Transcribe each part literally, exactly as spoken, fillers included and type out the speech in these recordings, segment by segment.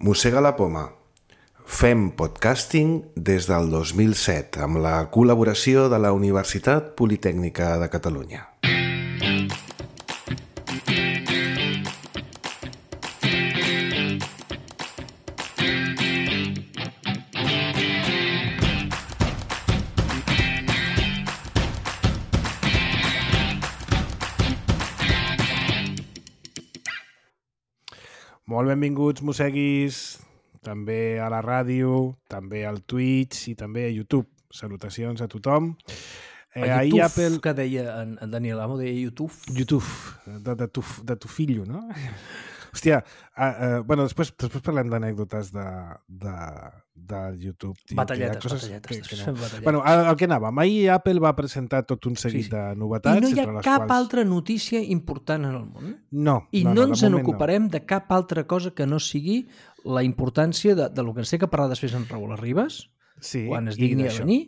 Mossega la poma. Fem podcasting des del dos mil set amb la col·laboració de la Universitat Politècnica de Catalunya. Molt benvinguts, mosseguis, també a la ràdio, també al Twitch i també a YouTube. Salutacions a tothom. Eh, a YouTube, Apple... que deia en, en Daniel Amo, deia YouTube. YouTube, de, de, tu, de tu fillo, no? Hòstia, uh, uh, bueno, després, després parlem d'anècdotes de, de, de YouTube. Tio, batalletes, batalletes. Que, que no. batalletes. Bueno, el, el que anàvem, ahir Apple va presentar tot un seguit sí, sí. de novetats. I no hi ha les cap quals... altra notícia important en el món. No. I no, no, no ens en ocuparem no. de cap altra cosa que no sigui la importància de, de lo que ens té que parlar després en Raül Arribas, sí, quan es digni a venir,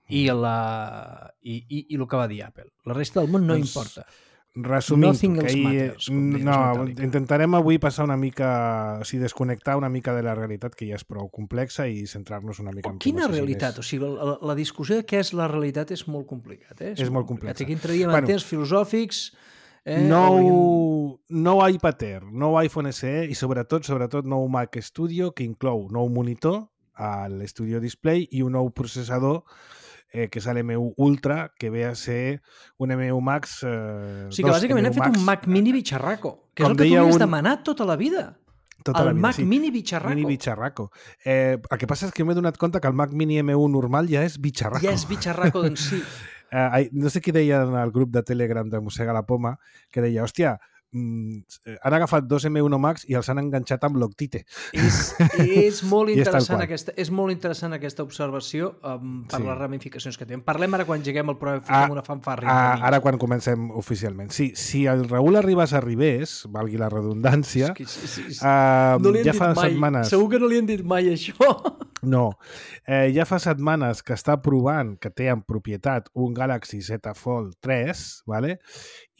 i, la, i, i, i el que va dir Apple. La resta del món no doncs... importa. Resumint, Nothing que else ahir, matters, no, intentarem avui passar una mica, o sigui, desconnectar una mica de la realitat, que ja és prou complexa, i centrar-nos una mica en... Quina realitat? O sigui, la, la discussió de què és la realitat és molt complicat, eh? És, és molt complicat. Aquí entraríem bueno, en temps filosòfics... Eh, nou, hauríem... nou iPad Air, nou iPhone S E i sobretot, sobretot nou Mac Studio, que inclou nou monitor a l'Studio Display i un nou processador Eh, que és l'M u Ultra, que ve a ser un M u Max... Eh, o sigui que bàsicament hem fet un Mac Mini bitxarraco, que és el que tu havies un... demanat tota la vida. Tota el la vida, Mac sí. Mini bitxarraco. Mini bitxarraco. Eh, el que passa és que m'he donat compte que el Mac Mini M u normal ja és bitxarraco. Ja és bitxarraco d'en si. eh, no sé qui deia en el grup de Telegram de Mossega la Poma, que deia, hòstia, han agafat dos M u Max i els han enganxat amb l'Octite. És, és, molt interessant aquesta, és molt interessant aquesta observació um, per sí. les ramificacions que tenen. Parlem ara quan lleguem al programa, fiquem una fanfàrria. Ah, ara quan comencem oficialment. Sí, si el Raül Arribas arribés, valgui la redundància, és que, sí, sí, sí. Uh, no ja fa mai. setmanes... Segur que no li han dit mai això. No. Eh, ja fa setmanes que està provant que té en propietat un Galaxy Z Fold tres, ¿vale?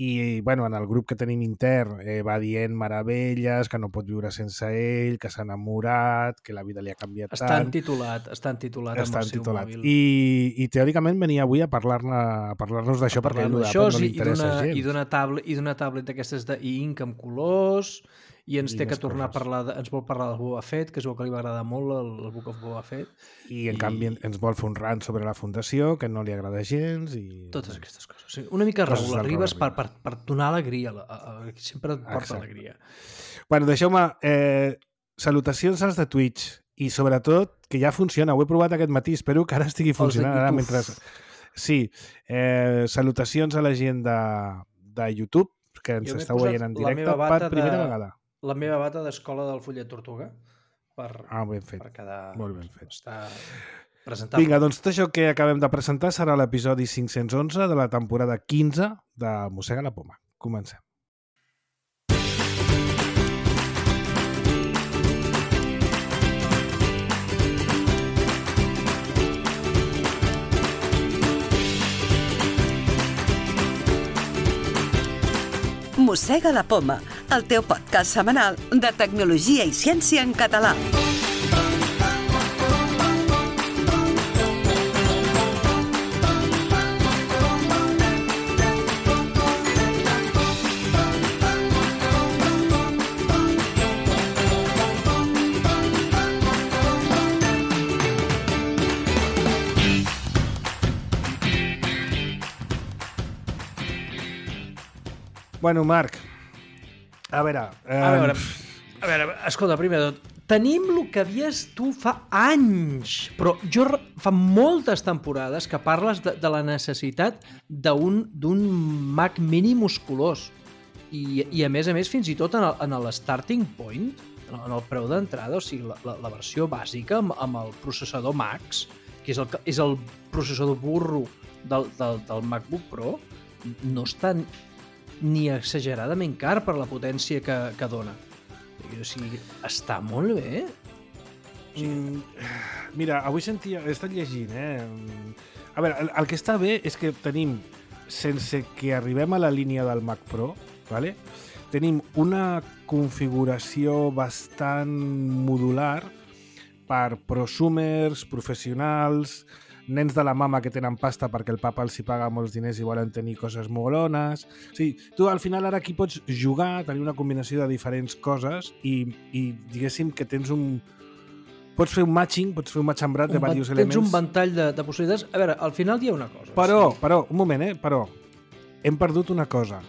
I bueno, en el grup que tenim intern eh, va dient meravelles, que no pot viure sense ell, que s'ha enamorat, que la vida li ha canviat tant. Està titulat, està titulat amb el seu mòbil. I, i teòricament venia avui a parlar-nos a parlar-nos d'això, perquè a l'Apple no li interessa gens. I d'una tablet, i d'una tablet d'aquestes d'e-ink amb colors, i ens I té que tornar coses. a parlar, de, ens vol parlar del Boba Fett, que és el que li va agradar molt, el, el Book of Boba Fett. I en I... canvi ens vol fer un rant sobre la fundació, que no li agrada gens. I... Totes aquestes coses. Sí, una mica Raül Arribas per, per, per donar alegria, a, a, a, sempre et porta Exacte. alegria. Bueno, deixeu-me, eh, salutacions als de Twitch, i sobretot que ja funciona, ho he provat aquest matí, espero que ara estigui funcionant. Ara, mentre... Sí, eh, salutacions a la gent de, de YouTube, que ens estàu veient en directe per primera de, vegada. La meva bata d'escola del Fullet Tortuga per, ah, ben fet. per quedar... Molt ben fet. Està presentable. Vinga, doncs tot això que acabem de presentar serà l'episodi cinc-cents onze de la temporada quinze de Mossega la Poma. Comencem. Mossega la Poma, el teu podcast setmanal de tecnologia i ciència en català. Bueno, Marc, a veure... Eh... A veure, a veure, escolta, primer de tot, tenim el que havies tu fa anys, però jo fa moltes temporades que parles de, de la necessitat d'un Mac Mini musculós. I, I a més a més, fins i tot en el, en el starting point, en el preu d'entrada, o sigui, la, la, la versió bàsica amb, amb el processador Max, que és el, és el processador burro del, del, del MacBook Pro, no està ni exageradament car per la potència que, que dona. O sigui, està molt bé. O sigui... mm, mira, avui sentia... He estat llegint, eh? A veure, el, el que està bé és que tenim, sense que arribem a la línia del Mac Pro, ¿vale? tenim una configuració bastant modular per prosumers, professionals, nens de la mama que tenen pasta perquè el papa els hi paga molts diners i volen tenir coses molones. O sigui, tu al final ara aquí pots jugar, tenir una combinació de diferents coses i, i diguéssim que tens un... Pots fer un matching, pots fer un matxembrat de diversos elements. Tens un ventall de, de possibilitats. A veure, al final hi ha una cosa. Però, sí. però, un moment, eh? Però hem perdut una cosa.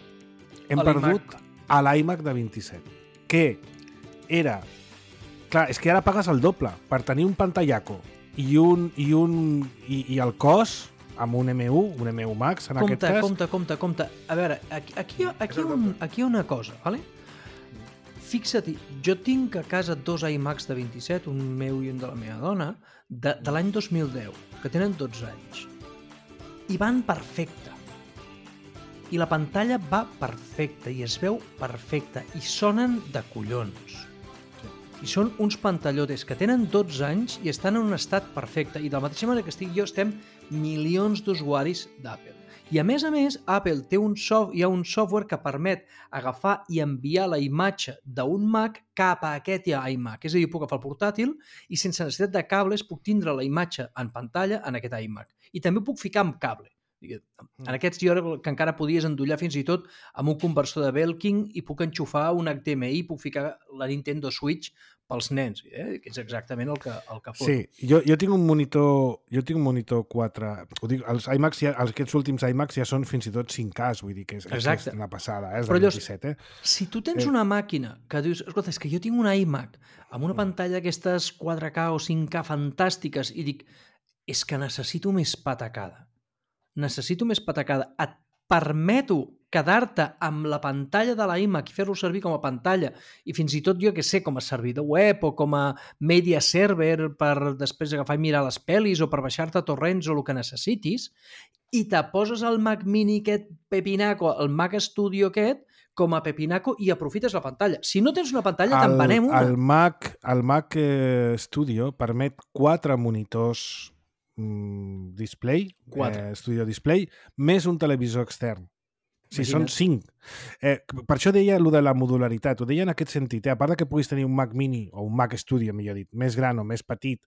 Hem perdut a l'iMac de vint-i-set, que era... Clar, és que ara pagues el doble per tenir un pantallaco i un i un i, i el cos amb un M u, un M u Max en compte, aquest cas. Compte, compte, compte. A veure, aquí, aquí, aquí, hi ha un, aquí hi ha una cosa, ¿vale? Fixa't, jo tinc a casa dos iMacs de vint-i-set, un meu i un de la meva dona, de, de l'any dos mil deu, que tenen dotze anys. I van perfecte. I la pantalla va perfecta, i es veu perfecta, i sonen de collons. I són uns pantallotes que tenen dotze anys i estan en un estat perfecte. I de la mateixa manera que estic jo, estem milions d'usuaris d'Apple. I a més a més, Apple té un soft, hi ha un software que permet agafar i enviar la imatge d'un Mac cap a aquest iMac. És a dir, puc agafar el portàtil i sense necessitat de cables puc tindre la imatge en pantalla en aquest iMac. I també puc ficar amb cable. En aquests jo que encara podies endollar fins i tot amb un conversor de Belkin i puc enxufar un H D M I, puc ficar la Nintendo Switch pels nens, eh? Que és exactament el que, el que fot. Sí, jo, jo tinc un monitor jo tinc un monitor quatre, ho dic, els iMacs, ja, aquests últims iMacs ja són fins i tot cinc K, vull dir que és, és una passada, eh? És del vint-i-set, eh? Si tu tens una màquina que dius, escolta, és que jo tinc un iMac amb una pantalla d'aquestes quatre K o cinc K fantàstiques i dic, és que necessito més patacada. Necessito més patacada. Et permeto quedar-te amb la pantalla de l'iMac i fer-lo servir com a pantalla i fins i tot jo que sé, com a servidor web o com a media server per després agafar i mirar les pel·lis o per baixar-te torrents o el que necessitis i te poses el Mac Mini aquest pepinaco, el Mac Studio aquest com a pepinaco i aprofites la pantalla. Si no tens una pantalla, te'n venem una. El Mac, el Mac eh, Studio permet quatre monitors display, eh, Studio Display, més un televisor extern. Sí, són cinc. Eh, per això deia allò de la modularitat, ho deia en aquest sentit, eh? A part que puguis tenir un Mac Mini o un Mac Studio, millor dit, més gran o més petit,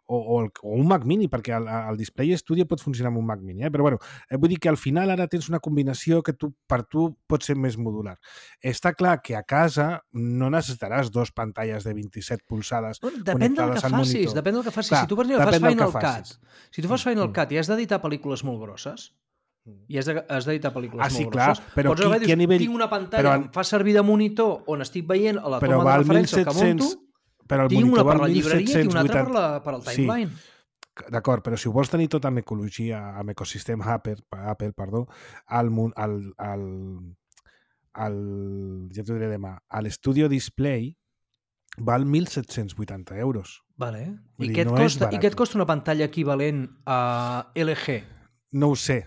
o, o, el, o un Mac Mini, perquè el, el Display Studio pot funcionar amb un Mac Mini, eh? Però bueno, eh, vull dir que al final ara tens una combinació que tu, per tu pot ser més modular. Està clar que a casa no necessitaràs dos pantalles de vint-i-set polzades bueno, depèn del que facis, monitor. Depèn del que facis. Clar, si tu, per exemple, fas Final Cut, si tu fas Final Cut i has d'editar pel·lícules molt grosses, i has d'editar pel·lícules ah, sí, molt clar, grosses, però pots qui, agafar i dius, nivell... tinc una pantalla, però... em fa servir de monitor on estic veient a la toma de referència que monto, però el tinc una per la mil llibreria set-cents i una altra vuitanta... per, la, per al timeline. Sí. D'acord, però si ho vols tenir tot amb ecologia, amb ecosistema Apple, Apple perdó, al, al, al, al, ja t'ho diré demà, a l'Studio Display val mil set-cents vuitanta euros. Vale. I, dir, què et no costa, I què et costa una pantalla equivalent a L G? No ho sé.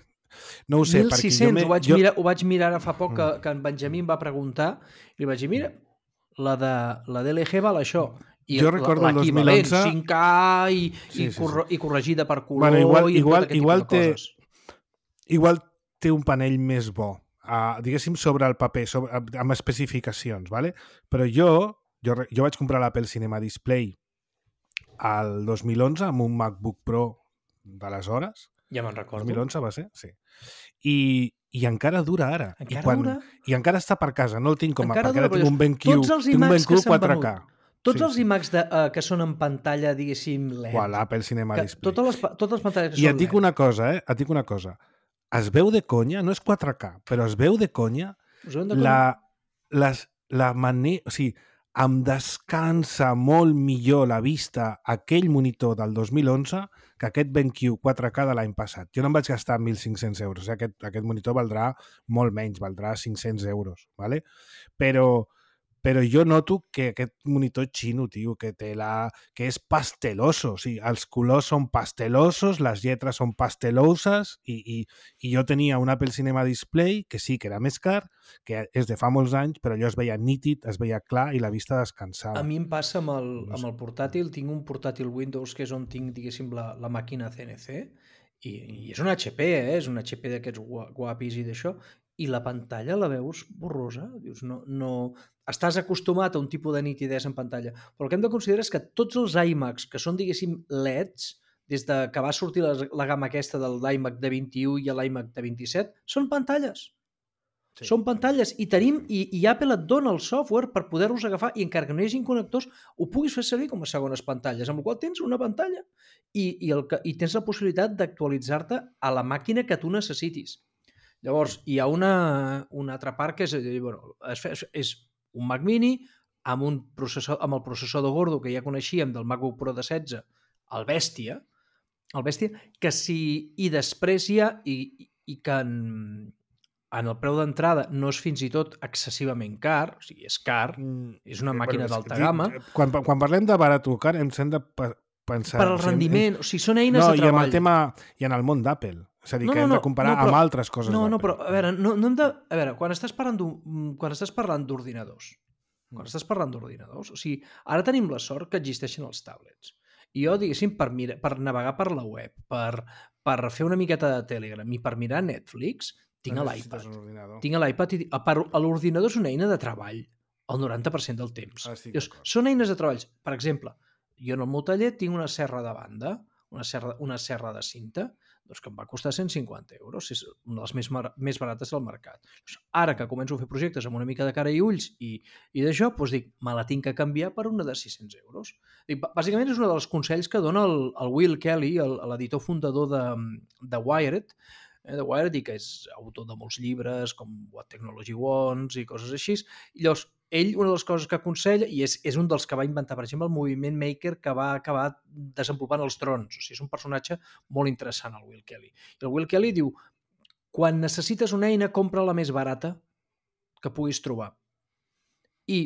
No ho sé, mil sis-cents, ho, vaig jo... mirar, ho vaig mirar ara fa poc que, que en Benjamí em va preguntar i li vaig dir, mira, la de, la de L G val això. I jo recordo el dos mil onze... cinc K i, sí, i, sí, corre, sí. i corregida per color bueno, igual, i igual, tot aquest igual tipus de té, coses. Igual té un panell més bo, uh, diguéssim, sobre el paper, sobre, amb especificacions, ¿vale? Però jo, jo, jo vaig comprar l'Apple Cinema Display al dos mil onze amb un MacBook Pro d'aleshores. Ja me'n recordo. dos mil onze va ser? Sí. I, i encara dura ara. Encara I quan, dura? I encara està per casa, no el tinc com a... Encara perquè dura, ara tinc un BenQ, tinc un BenQ quatre K. Tots sí, els sí. iMacs de, uh, que són en pantalla, diguéssim, L E D. Qual, l'Apple Cinema que, Display. Totes les, totes les pantalles que I són et dic L E D. una cosa, eh? Et dic una cosa. Es veu de conya, no és quatre K, però es veu de conya la, les, la manera... O sigui, em descansa molt millor la vista aquell monitor del dos mil onze que aquest BenQ quatre K de l'any passat. Jo no em vaig gastar mil cinc-cents euros. Eh? Aquest, aquest monitor valdrà molt menys, valdrà cinc-cents euros. ¿Vale? Però, però jo noto que aquest monitor xino, tio, que, té la, que és pasteloso. O sigui, els colors són pastelosos, les lletres són pasteloses i, i, i jo tenia un Apple Cinema Display que sí que era més car, que és de fa molts anys, però allò es veia nítid, es veia clar i la vista descansava. A mi em passa amb el, amb el portàtil, tinc un portàtil Windows que és on tinc, diguéssim, la, la màquina C N C i, i és un H P, eh? És un H P d'aquests guapis i d'això, i la pantalla la veus borrosa. Dius, no, no... Estàs acostumat a un tipus de nitidesa en pantalla. Però el que hem de considerar és que tots els iMacs que són, diguéssim, L E Ds, des de que va sortir la, la gamma aquesta del iMac de vint-i-u i l'iMac de vint-i-set, són pantalles. Sí. Són pantalles i tenim i, i Apple et dona el software per poder-los agafar i encara que no hi hagi connectors ho puguis fer servir com a segones pantalles, amb la qual tens una pantalla i, i, el que, i tens la possibilitat d'actualitzar-te a la màquina que tu necessitis. Llavors, hi ha una, una altra part que és, bueno, és, és un Mac Mini amb, un processor, amb el processador gordo que ja coneixíem del MacBook Pro de setze, el Bèstia, el Bèstia, que si i després hi ha i, i que en, en el preu d'entrada no és fins i tot excessivament car, o sigui, és car, és una màquina bueno, d'alta gamma. Quan, quan parlem de barat o car, hem de pensar... Per al rendiment, o sigui, són eines no, de treball. No, i amb el tema, i en el món d'Apple. És a dir, no, que no, hem no, de comparar no, però, amb altres coses no, d'Apple. No, però, a veure, no, no hem de... A veure, quan estàs parlant quan estàs parlant d'ordinadors, quan estàs parlant d'ordinadors, o sigui, ara tenim la sort que existeixen els tablets. I jo, diguéssim, per, mira, per navegar per la web, per, per fer una miqueta de Telegram i per mirar Netflix, tinc l'iPad. Tinc l'iPad i l'ordinador és una eina de treball el noranta per cent del temps. Ah, Dius, són eines de treball. Per exemple, jo en el meu taller tinc una serra de banda, una serra, una serra de cinta, doncs que em va costar cent cinquanta euros, és una de les més, més barates del mercat. Ara que començo a fer projectes amb una mica de cara i ulls i, i d'això, doncs dic, me la tinc que canviar per una de sis-cents euros. Dic, bàsicament és un dels consells que dona el, el Will Kelly, l'editor fundador de, de Wired, eh, de Wired, i que és autor de molts llibres, com What Technology Wants i coses així. I llavors, ell, una de les coses que aconsella, i és, és un dels que va inventar, per exemple, el moviment maker que va acabar desenvolupant els drons. O sigui, és un personatge molt interessant, el Will Kelly. I el Will Kelly diu, quan necessites una eina, compra la més barata que puguis trobar. I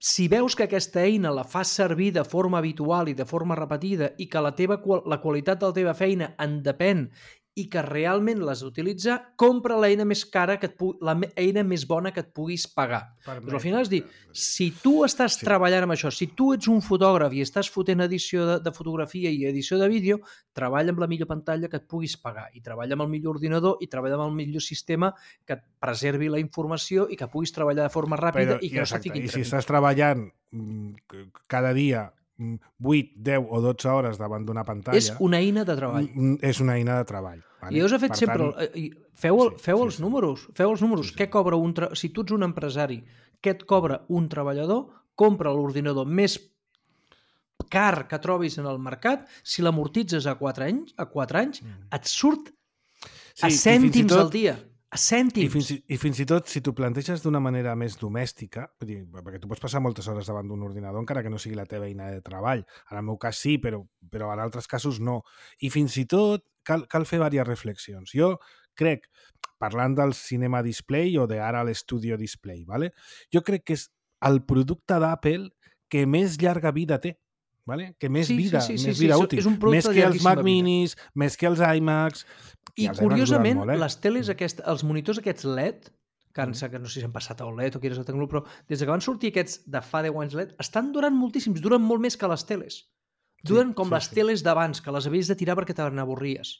si veus que aquesta eina la fas servir de forma habitual i de forma repetida i que la, teva, la qualitat de la teva feina en depèn i que realment l'has d'utilitzar, compra l'eina més cara, que et pu la eina més bona que et puguis pagar. Però al final és dir, si tu estàs sí. treballant amb això, si tu ets un fotògraf i estàs fotent edició de, de fotografia i edició de vídeo, treballa amb la millor pantalla que et puguis pagar i treballa amb el millor ordinador i treballa amb el millor sistema que et preservi la informació i que puguis treballar de forma ràpida Però, i que no se fiquin I si estàs treballant cada dia vuit, deu o dotze hores davant d'una pantalla... És una eina de treball. És una eina de treball. Vale? I us he fet per sempre... Tant... Feu, el, feu sí, els sí, números. Feu els números. Sí, sí. Què cobra un... Tra... Si tu ets un empresari, què et cobra un treballador? Compra l'ordinador més car que trobis en el mercat. Si l'amortitzes a quatre anys, a quatre anys mm. et surt sí, a cèntims tot... al dia. A cèntims. I fins, i, I fins i tot, si t'ho planteges d'una manera més domèstica, dir, perquè tu pots passar moltes hores davant d'un ordinador encara que no sigui la teva eina de treball. En el meu cas sí, però, però en altres casos no. I fins i tot cal, cal fer diverses reflexions. Jo crec, parlant del cinema display o d'ara l'Studio Display, ¿vale? Jo crec que és el producte d'Apple que més llarga vida té. Vale? Que més sí, vida, sí, sí, més sí, vida sí, útil. Més que els Mac Minis, més que els iMacs... I curiosament, molt, eh? les teles, aquest, els monitors aquests L E D, que, mm. que no sé si han passat a O L E D o quina és la tecnologia, però des que van sortir aquests de fa deu anys L E D, estan durant moltíssims, duren molt més que les teles. Duren sí, com sí, les sí. teles d'abans, que les havies de tirar perquè te n'avorries.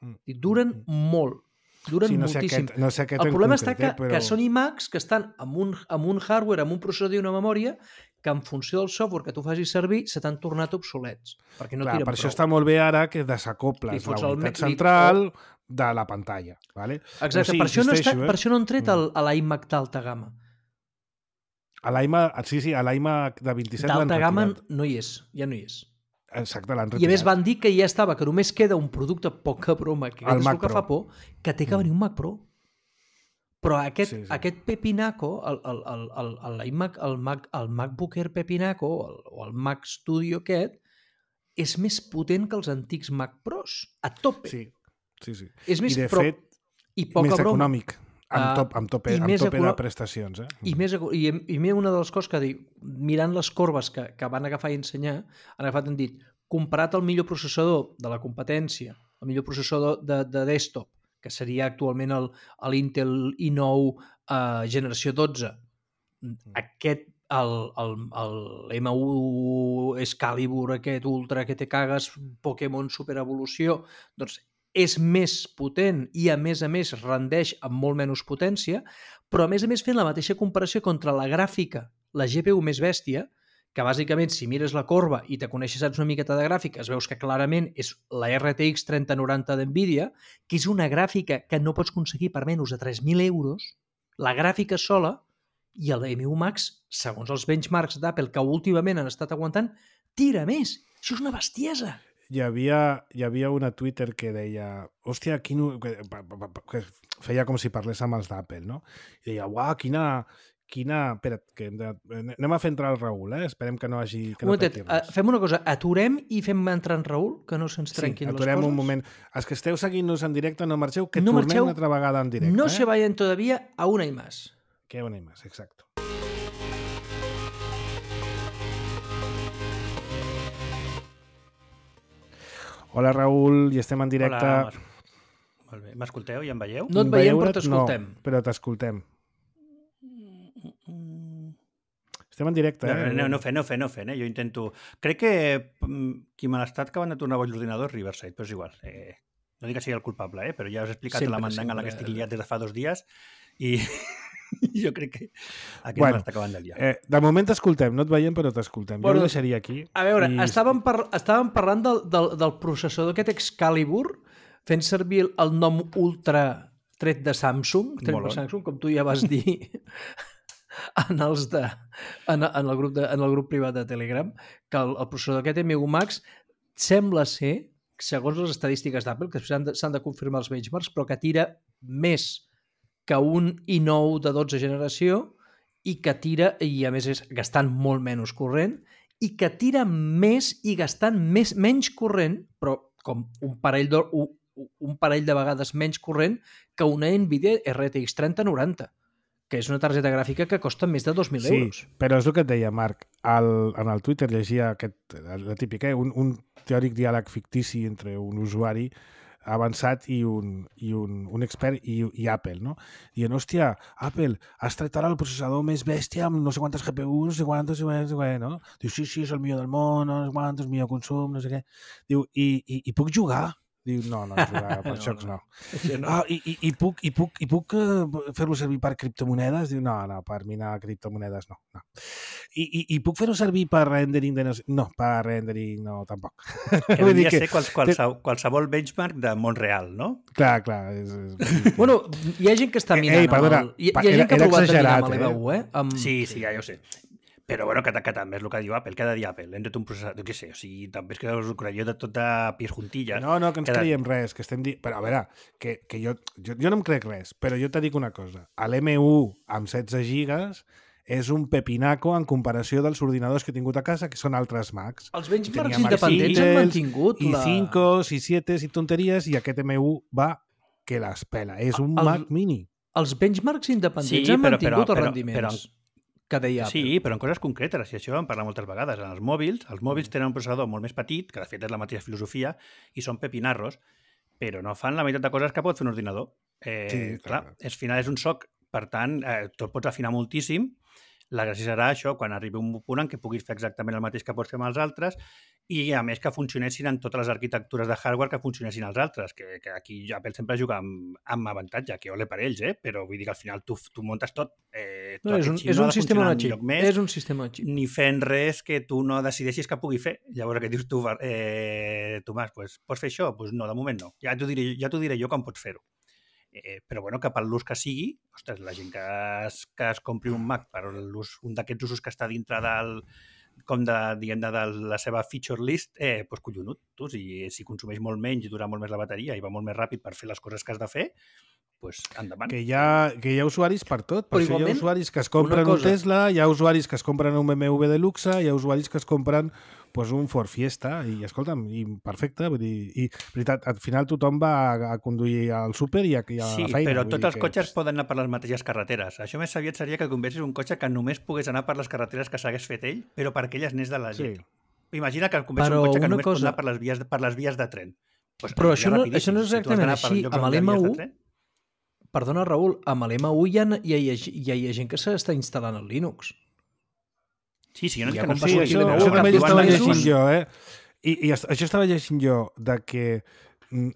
Mm. I duren mm. molt. Duren sí, no moltíssim. Sé aquest, no sé aquest el problema concret, està que, eh, però... que són iMacs que estan amb un, amb un hardware, amb un processador i una memòria que en funció del software que tu facis servir se t'han tornat obsolets, perquè no Clar, tiren per prou. això està molt bé ara que desacoples la unitat central o... de la pantalla. Vale? Exacte, sí, per, això no està, eh? per això no han tret el, l'iMac d'alta gamma. A l'iMac, sí, sí, a l'iMac de vint-i-set l'han d'alta gamma retirat. no hi és, ja no hi és. Exacte, l'han retirat. I a més van dir que ja estava, que només queda un producte poca broma, que és el que fa por, que té que venir un Mac Pro. Però aquest, sí, sí. aquest Pepinaco, el, el, el, el, el, iMac, el, Mac, el MacBook Air Pepinaco el, o el Mac Studio aquest, és més potent que els antics Mac Pros, a tope. Sí, sí, sí. És més, I de però, fet, i poca més broma. econòmic, amb, top, amb tope, amb tope econò... de prestacions. Eh? I, més, i, i una de les coses que dic, mirant les corbes que, que van agafar i ensenyar, han agafat i han dit, comparat el millor processador de la competència, el millor processador de, de desktop, que seria actualment l'Intel i nou eh, generació dotze. Aquest, el, el, el M u Excalibur, aquest Ultra, que te cagues, Pokémon Super Evolució, doncs és més potent i, a més a més, rendeix amb molt menys potència, però, a més a més, fent la mateixa comparació contra la gràfica, la G P U més bèstia, que bàsicament, si mires la corba i te coneixes, saps una miqueta de gràfiques, veus que clarament és la R T X trenta noranta d'NVIDIA, que és una gràfica que no pots aconseguir per menys de tres mil euros, la gràfica sola, i el M u Max, segons els benchmarks d'Apple, que últimament han estat aguantant, tira més. Això és una bestiesa. Hi havia, hi havia una Twitter que deia, hòstia, quin... que, que feia com si parlés amb els d'Apple, no? I deia, uau, quina... quina... Espera't, que hem de... anem a fer entrar el Raül, eh? Esperem que no hagi... Que no momentet, uh, fem una cosa, aturem i fem entrar en Raül, que no se'ns trenquin sí, les coses. aturem un moment. Els que esteu seguint-nos en directe, no marxeu, que no tornem marxeu, una altra vegada en directe. No eh? se vayan todavía a una y más. Que una y más, exacto. Hola, Raül, i estem en directe. Hola, molt bé. M'escolteu i em veieu? No et veiem, però Veure't, t'escoltem. No, però t'escoltem. Estem en directe, No, eh? no, no fent, no fent, no fent, eh? Jo intento... Crec que mm, qui me l'ha estat acabant de tornar boig l'ordinador és Riverside, però és igual. Eh, no dic que sigui el culpable, eh? Però ja us he explicat Sempre, la mandanga en la que sempre. estic liat des de fa dos dies i jo crec que aquest Bueno, me l'està acabant de liar. Eh, de moment t'escoltem, no et veiem, però t'escoltem. Bueno, jo ho deixaria aquí. A veure, i... estàvem, par estàvem parlant del, del, del processador aquest Excalibur, fent servir el, el nom Ultra tret de Samsung, tret Molt de bon. Samsung, com tu ja vas dir en, els de, en, en, el grup de, en el grup privat de Telegram, que el, el processador aquest M u Max sembla ser, segons les estadístiques d'Apple, que s'han de, s'han de confirmar els benchmarks, però que tira més que un i nou de dotze generació i que tira, i a més és gastant molt menys corrent, i que tira més i gastant més, menys corrent, però com un parell, de, un, un parell de vegades menys corrent que una NVIDIA R T X trenta noranta, que és una targeta gràfica que costa més de dos mil sí, euros. però és el que et deia, Marc. El, en el Twitter llegia aquest, la típica, eh? un, un teòric diàleg fictici entre un usuari avançat i un, i un, un expert i, i Apple, no? Dient, hòstia, Apple, has tret ara el processador més bèstia amb no sé quantes G P Us, no sé quantes, no sé què, no? Diu, sí, sí, és el millor del món, no sé quantes, millor consum, no sé què. Diu, i, i, i puc jugar? Diu, no, no, jugar per No, jocs no. no. no. Ah, i, i, i puc, i puc, i puc uh, fer-lo servir per criptomonedes? Diu, no, no, per minar criptomonedes no. no. I, i, I puc fer-ho servir per rendering de... No, per rendering no, tampoc. Que Vull dir devia que- ser quals, qualsevol, qualsevol benchmark de Montreal, no? Clar, clar. És, és... Bueno, hi ha gent que està Ei, minant ei, perdona, amb el... Hi, pa- hi ha era- gent que ha era provat de minar exagerat, amb l'E V U, eh? Amb... Sí, sí, ja, ja ho sé. Però bueno, que, que també és el que diu Apple, que ha de dir Apple, hem de un processador, què sé, o sigui, també és que us ho creieu de tota pies juntillas. No, no, que ens Cada- creiem res, que estem dient... Però a veure, que, que jo, jo, jo no em crec res, però jo te dic una cosa. L'M u amb setze gigas és un pepinaco en comparació dels ordinadors que he tingut a casa, que són altres Macs. Els benchmarks Tenia Macs independents han Intels, mantingut I la... cinco, i siete, i tonteries, i aquest M u va que les pela. És un El- Mac mini. Els benchmarks independents Sí, han però- mantingut però- els però- rendiments però- que deia Apple. Sí, però en coses concretes, i això en parla moltes vegades. En els mòbils, els mòbils tenen un processador molt més petit, que de fet és la mateixa filosofia, i són pepinarros, però no fan la meitat de coses que pot fer un ordinador. Eh, Sí, clar, clar. al final és un soc, per tant, eh, tu el pots afinar moltíssim. La gràcia serà això, quan arribi un punt en què puguis fer exactament el mateix que pots fer amb els altres i, a més, que funcionessin en totes les arquitectures de hardware que funcionessin els altres, que, que aquí Apple sempre juga amb, amb avantatge, que ole per ells, eh? Però vull dir que al final tu, tu muntes tot. Eh, No, és un, aquest xip és no ha un de sistema funcionar de xip. enlloc més, És un sistema de xip. ni fent res que tu no decideixis que pugui fer. Llavors, què dius tu, eh, Tomàs? Pues, pots fer això? Pues no, de moment no. Ja t'ho diré, ja t'ho diré jo com pots fer-ho. Eh, però bueno, que per l'ús que sigui, ostres, la gent que es, que es compri un Mac per l'ús, un d'aquests usos que està dintre del, com de, diguem de, de la seva feature list, eh, doncs collonut. Tu, si, si consumeix molt menys i dura molt més la bateria i va molt més ràpid per fer les coses que has de fer, doncs endavant. Que hi, ha, que hi ha usuaris per tot. Per Però això hi ha igualment, usuaris que es compren una un cosa- Tesla, hi ha usuaris que es compren un B M W de luxe, hi ha usuaris que es compren pues, un Ford Fiesta, i escolta'm, i perfecte, vull dir, i veritat, al final tothom va a, a conduir al súper i a, i a Sí, la feina. però vull tots dir els que- cotxes poden anar per les mateixes carreteres. Això més aviat seria que conversis un cotxe que només pogués anar per les carreteres que s'hagués fet ell, però per aquelles n'és de la Sí. llet. Imagina que conversis Però un cotxe que una només pot cosa- anar per les vies, per les vies de tren. Pues Però anirà això no- rapidíssim. això no és Si tu has exactament d'anar per així. llocs Amb on hi ha l'M vies de u, tren, Perdona, Raül, amb l'M u hi ha, ja hi ha, ja hi ha gent que s'està instal·lant el Linux. Sí, sí, jo no I dic ja que no com va Sí, sigui sortir això, l'M u, això cap també dos estava mesos- llegint jo, eh? I, i est- això estava llegint jo, de que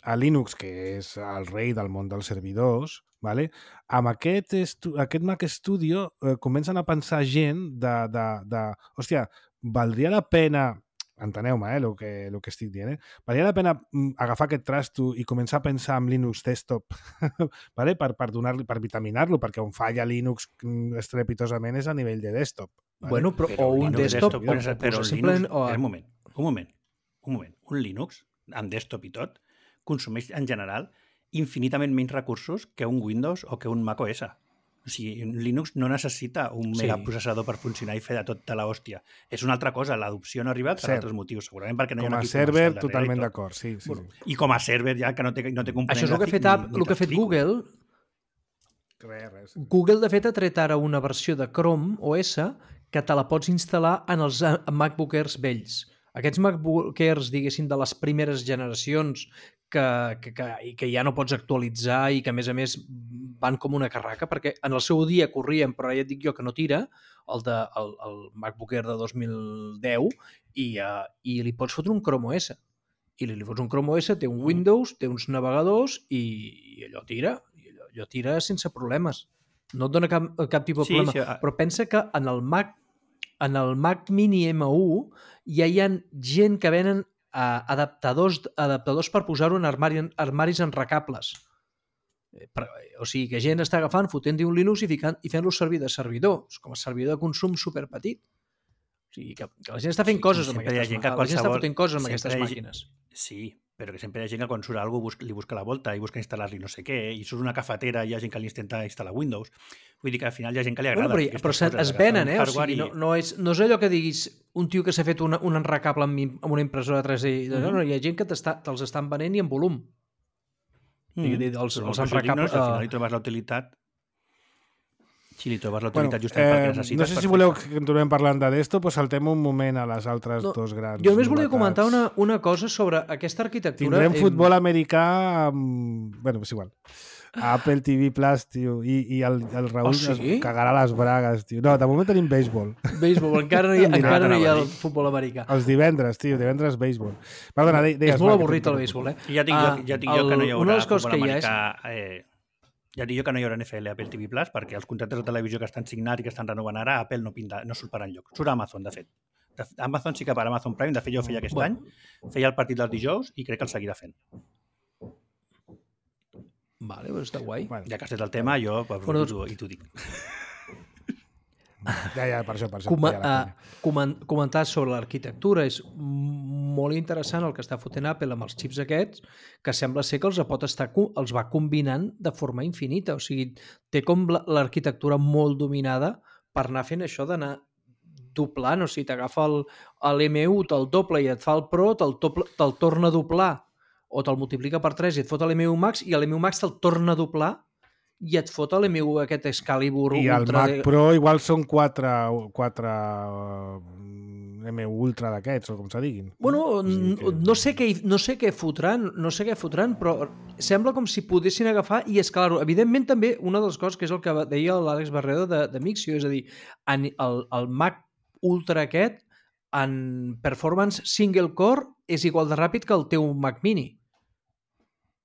a Linux, que és el rei del món dels servidors, vale? Amb aquest, estu aquest Mac Studio eh, comencen a pensar gent de, de, de... Hòstia, valdria la pena... Enteneu-me, eh, el que, el que estic dient, eh? Valdria la pena agafar aquest trasto i començar a pensar en Linux desktop vale? per, per, donar-li, per vitaminar-lo, perquè on falla Linux estrepitosament és a nivell de desktop. Vale? Bueno, però, però o un Linux desktop, però, o, però o Linux, simplement... O... Un moment, un moment, un moment. Un Linux, amb desktop i tot, consumeix en general infinitament menys recursos que un Windows o que un macOS. O sigui, un Linux no necessita un Sí. megaprocessador per funcionar i fer de tot de l'hòstia. És una altra cosa, l'adopció no ha arribat per Cert. altres motius, segurament perquè no hi ha Com un a equip server, comercial darrere i totalment tot. d'acord, sí, sí, Bueno, sí. I com a server ja que no té, no té component Això és el que ha gràfic fet, App- ni- ni el que ha fet t'explico. Google. Res, res. Google, de fet, ha tret ara una versió de Chrome O S que te la pots instal·lar en els eh, MacBook Airs vells. Aquests MacBook Airs, diguéssim, de les primeres generacions que, que, que, i que ja no pots actualitzar i que, a més a més, van com una carraca, perquè en el seu dia corrien, però ja et dic jo que no tira, el, de, el, el MacBook Air de dos mil deu, i, uh, i li pots fotre un Chrome O S. I li, li fots un Chrome O S, té un Windows, té uns navegadors i, i allò tira. I allò, allò tira sense problemes. No et dona cap, cap tipus de Sí, problema. sí, a- Però pensa que en el Mac en el Mac Mini M u ja hi ha gent que venen uh, adaptadors, adaptadors per posar-ho en armari, armaris enrecables. Eh, per, o sigui, que gent està agafant, fotent-hi un Linux i, ficant, i fent-lo servir de servidor, com a servidor de consum superpetit. O sigui, que, que la gent està fent Sí, coses amb sempre hi ha aquestes gent que màquines. La gent està qualsevol- fotent coses amb sempre aquestes hi ha gent- màquines. Sí, però que sempre hi ha gent que quan surt alguna cosa li busca la volta i busca instal·lar-li no sé què, i surt una cafetera i hi ha gent que li intenta instal·lar Windows. Vull dir que al final hi ha gent que li agrada. Bueno, però, però se, es venen, eh? O sigui, no, no, és, no és allò que diguis un tio que s'ha fet una, un enrecable amb, im- amb una impressora tres D. Mm -hmm. No, no, hi ha gent que te'ls estan venent i en volum. Mm. I- i els- Però els per això dic, no, enrecables, si al final eh, li trobes la utilitat si li trobes la Bueno, utilitat justament perquè eh, necessites. no sé si perfecte. voleu que continuem parlant de d'esto, doncs saltem un moment a les altres No, dos grans Jo només volia novetats. comentar una, una cosa sobre aquesta arquitectura. Tindrem Em- futbol americà amb... Bueno, és igual. A Apple T V Plus, tio, i, i el, el Raül Oh, sí? es cagarà les bragues, tio. No, de moment tenim béisbol. Béisbol, encara no hi ha, Mira, encara no hi ha t'anava a el dir. futbol americà. Els divendres, tio, divendres béisbol. Perdona, de, deies, És molt va, que avorrit el t'interrompo. béisbol, eh? I ja dic, Ah, jo, ja dic jo que no hi el- haurà una de les coses futbol que hi ha és- americà, eh, ja dic jo que no hi haurà N F L a Apple T V Plus perquè els contractes de televisió que estan signats i que estan renovant ara, Apple no, pinta, no surt per enlloc. Surt a Amazon, de fet. De, Amazon sí que per Amazon Prime, de fet jo ho feia aquest Bueno. any, feia el partit dels dijous i crec que el seguirà fent. Vale, doncs està guai. Bueno, Ja que has fet el tema, jo pues, Bueno, bueno, i t'ho dic. ja, ja, per això, per això. Com, ja la uh, comen comentar sobre l'arquitectura és molt interessant el que està fotent Apple amb els xips aquests, que sembla ser que els pot estar, co- els va combinant de forma infinita. O sigui, té com la- l'arquitectura molt dominada per anar fent això d'anar doblant. O sigui, t'agafa el- l'M u, te'l doble i et fa el Pro, te'l doble- te'l torna a doblar o te'l multiplica per tres i et fot l'M u Max, i l'M u Max te'l torna a doblar i et fot l'M u aquest Excalibur I el Ultra Mac de... Pro igual són quatre, quatre uh, M U Ultra d'aquests, o com se diguin. Bueno, O sigui que- no sé què, hi- no sé què fotran, no sé què fotran, però sembla com si poguessin agafar, i és clar, evidentment també una de les coses que és el que deia l'Àlex Barredo de, de Mixio, és a dir, en el, el Mac Ultra aquest en performance single core és igual de ràpid que el teu Mac Mini.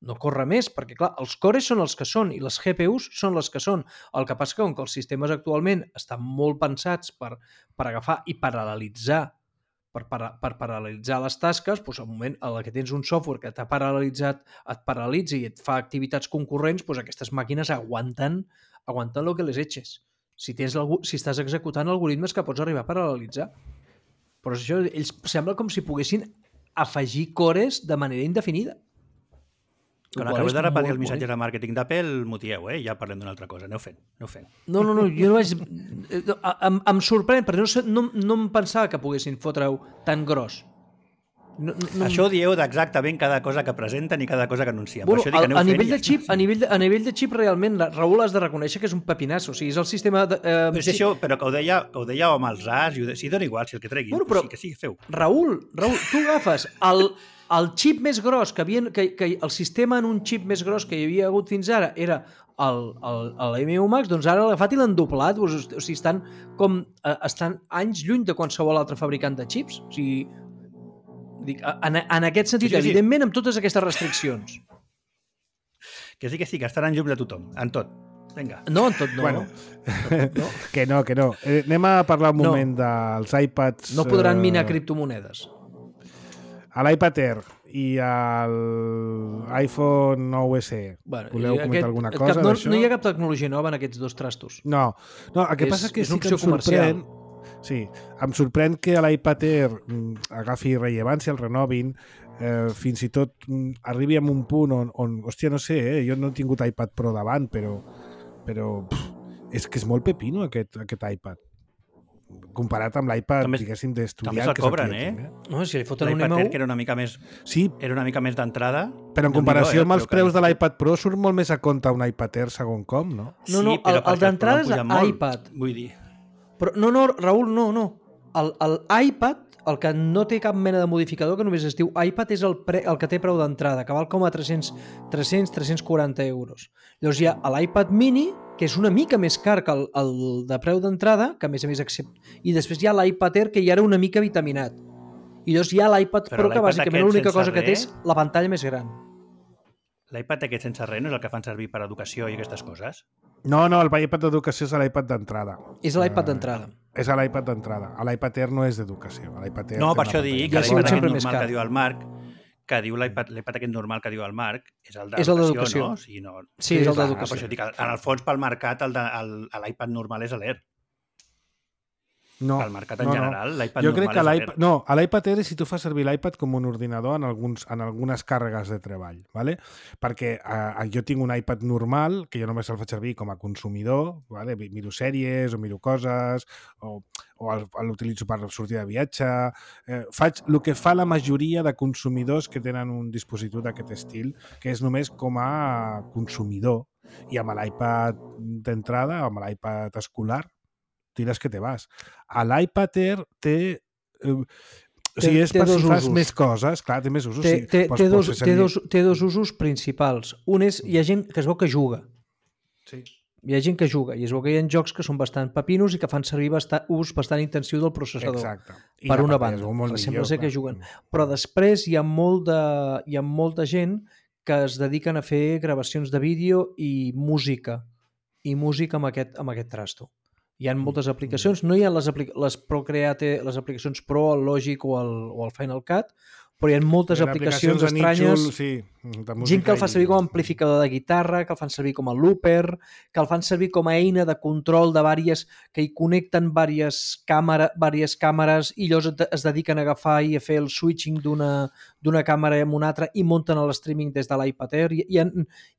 No corre més, perquè clar, els cores són els que són i les G P Us són les que són. El que passa que com que els sistemes actualment estan molt pensats per, per agafar i paral·lelitzar per, para, per paral·lelitzar les tasques, doncs al moment en què tens un software que t'ha paral·lelitzat, et paralitza i et fa activitats concurrents, doncs aquestes màquines aguanten, aguanten el que les eches. Si, tens algú, si estàs executant algoritmes que pots arribar a paral·lelitzar. Però això, ells sembla com si poguessin afegir cores de manera indefinida. Quan Qual acabeu és de repetir molt el missatge bonic. de màrqueting d'Apple, mutieu, eh? Ja parlem d'una altra cosa. Aneu fent, aneu fent. No, no, no, jo no vaig... eh, Em, em sorprèn, perquè no, sé- no, no em pensava que poguessin fotre-ho tan gros. No, no, no... Això ho dieu d'exactament cada cosa que presenten i cada cosa que anuncien. Bueno, per això dic a, que aneu a, fent nivell i de ja xip, està. a, nivell de, a nivell de xip, realment, la, Raül, has de reconèixer que és un pepinasso. O sigui, és el sistema... De, eh, Però, si això, però que ho deia, que ho deia amb els as, i ho de... sí, dona igual, si el que treguin, Bueno, bueno, però- però... sí, que sí, feu. Raül, Raül, tu agafes el, el xip més gros que, havien, que, que el sistema en un xip més gros que hi havia hagut fins ara era el, el, l'M u Max, doncs ara l'ha agafat i l'han doblat. O sigui, estan, com, eh, estan anys lluny de qualsevol altre fabricant de xips. O sigui, Dic, en, en aquest sentit, Sí, sí, sí. evidentment, amb totes aquestes restriccions. Que sí, que sí, que estaran llums de tothom, en tot. Vinga. No, en tot no. Bueno. no. Que no, que no. Eh, anem a parlar un No. moment dels iPads... No podran eh, minar criptomonedes. A l'iPad Air i al iPhone nou S E. Bueno, Voleu i comentar alguna cap, cosa no, d'això? no hi ha cap tecnologia nova en aquests dos trastos. No, no, el que És- passa és que és sí una que em opció comercial. sorprèn... Sí, em sorprèn que l'iPad Air mm, agafi rellevància, el renovin, eh, fins i tot mm, arribi a un punt on, on hòstia, no sé, eh, jo no he tingut iPad Pro davant, però, però pff, és que és molt pepino aquest, aquest iPad. Comparat amb l'iPad, També- diguéssim, d'estudiant. també se'l que és el cobren, que jo eh? tinc, eh? No, si li foten un L'iPad M Air, un... que era una mica més, Sí, era una mica més d'entrada. però en Déu-n'hi-do, comparació eh, amb els però que- preus de l'iPad Pro surt molt més a compte un iPad Air segon com, no? No, no, Sí, però el- el perquè d'entrada Pro és puja molt, iPad. Vull dir, Però, no, no, Raül, no, no. El, el iPad, el que no té cap mena de modificador, que només es diu iPad, és el, pre, el que té preu d'entrada, que val com a tres-cents, tres-cents, tres-cents quaranta euros. Llavors hi ha l'iPad mini, que és una mica més car que el, el de preu d'entrada, que a més a més accepta. I després hi ha l'iPad Air, que ja era una mica vitaminat. I llavors hi ha l'iPad Però Pro, que l'iPad bàsicament aquest l'única sense cosa que té res- és la pantalla més gran. l'iPad aquest sense res no és el que fan servir per a educació i aquestes coses? No, no, el iPad d'educació és l'iPad d'entrada. És l'iPad Ah, d'entrada. És a l'iPad d'entrada. A l'iPad Air no és d'educació. A l'iPad Air No, té per una això dic pantalla que Ja ha sigut l'iPad sempre aquest més normal car. que diu el Marc, que diu l'iPad l'iPad aquest normal que diu el Marc, és el És el d'educació, d'educació. no? O sigui, no... Sí, és el clar, d'educació. Per això dic, en el fons, pel mercat, el de- el- l'iPad normal és l'Air. No, Pel mercat en no, no. general, l'iPad Jo crec normal que és l'iPad... l'Air. No, a l'iPad Air és si tu fas servir l'iPad com un ordinador en, alguns, en algunes càrregues de treball, ¿vale? Perquè eh, jo tinc un iPad normal, que jo només el faig servir com a consumidor, ¿vale? Miro sèries o miro coses, o, o el- l'utilitzo per sortir de viatge. Eh, faig el que fa la majoria de consumidors que tenen un dispositiu d'aquest estil, que és només com a consumidor. I amb l'iPad d'entrada, amb l'iPad escolar, tires que te vas. A l'iPad Air té... Eh, o sigui, és té per dos si fas usos. més coses, clar, té més usos. Té, sí, té, pots- té, pots dos, fer té, servir- dos, té dos usos principals. Un és, hi ha gent que es veu que juga. Sí. Hi ha gent que juga i es veu que hi ha jocs que són bastant papinos i que fan servir bastant, ús bastant intensiu del processador. Exacte. I Per la una pantalla es banda. veu molt Sembla millor, ser que clar. juguen. Però després hi ha, molt de, hi ha molta gent que es dediquen a fer gravacions de vídeo i música. I música amb aquest, amb aquest trasto. Hi ha moltes aplicacions, no hi ha les, aplica les Procreate, les aplicacions Pro, el Logic o el, o el Final Cut, però hi ha moltes Eren aplicacions de estranyes. nínxol, sí, de música Gent que el fa i- servir com a amplificador de guitarra, que el fan servir com a looper, que el fan servir com a eina de control de vàries, que hi connecten vàries, càmera, vàries càmeres i llavors et- es dediquen a agafar i a fer el switching d'una d'una càmera amb una altra i munten el streaming des de l'iPad Air. Hi, hi, ha,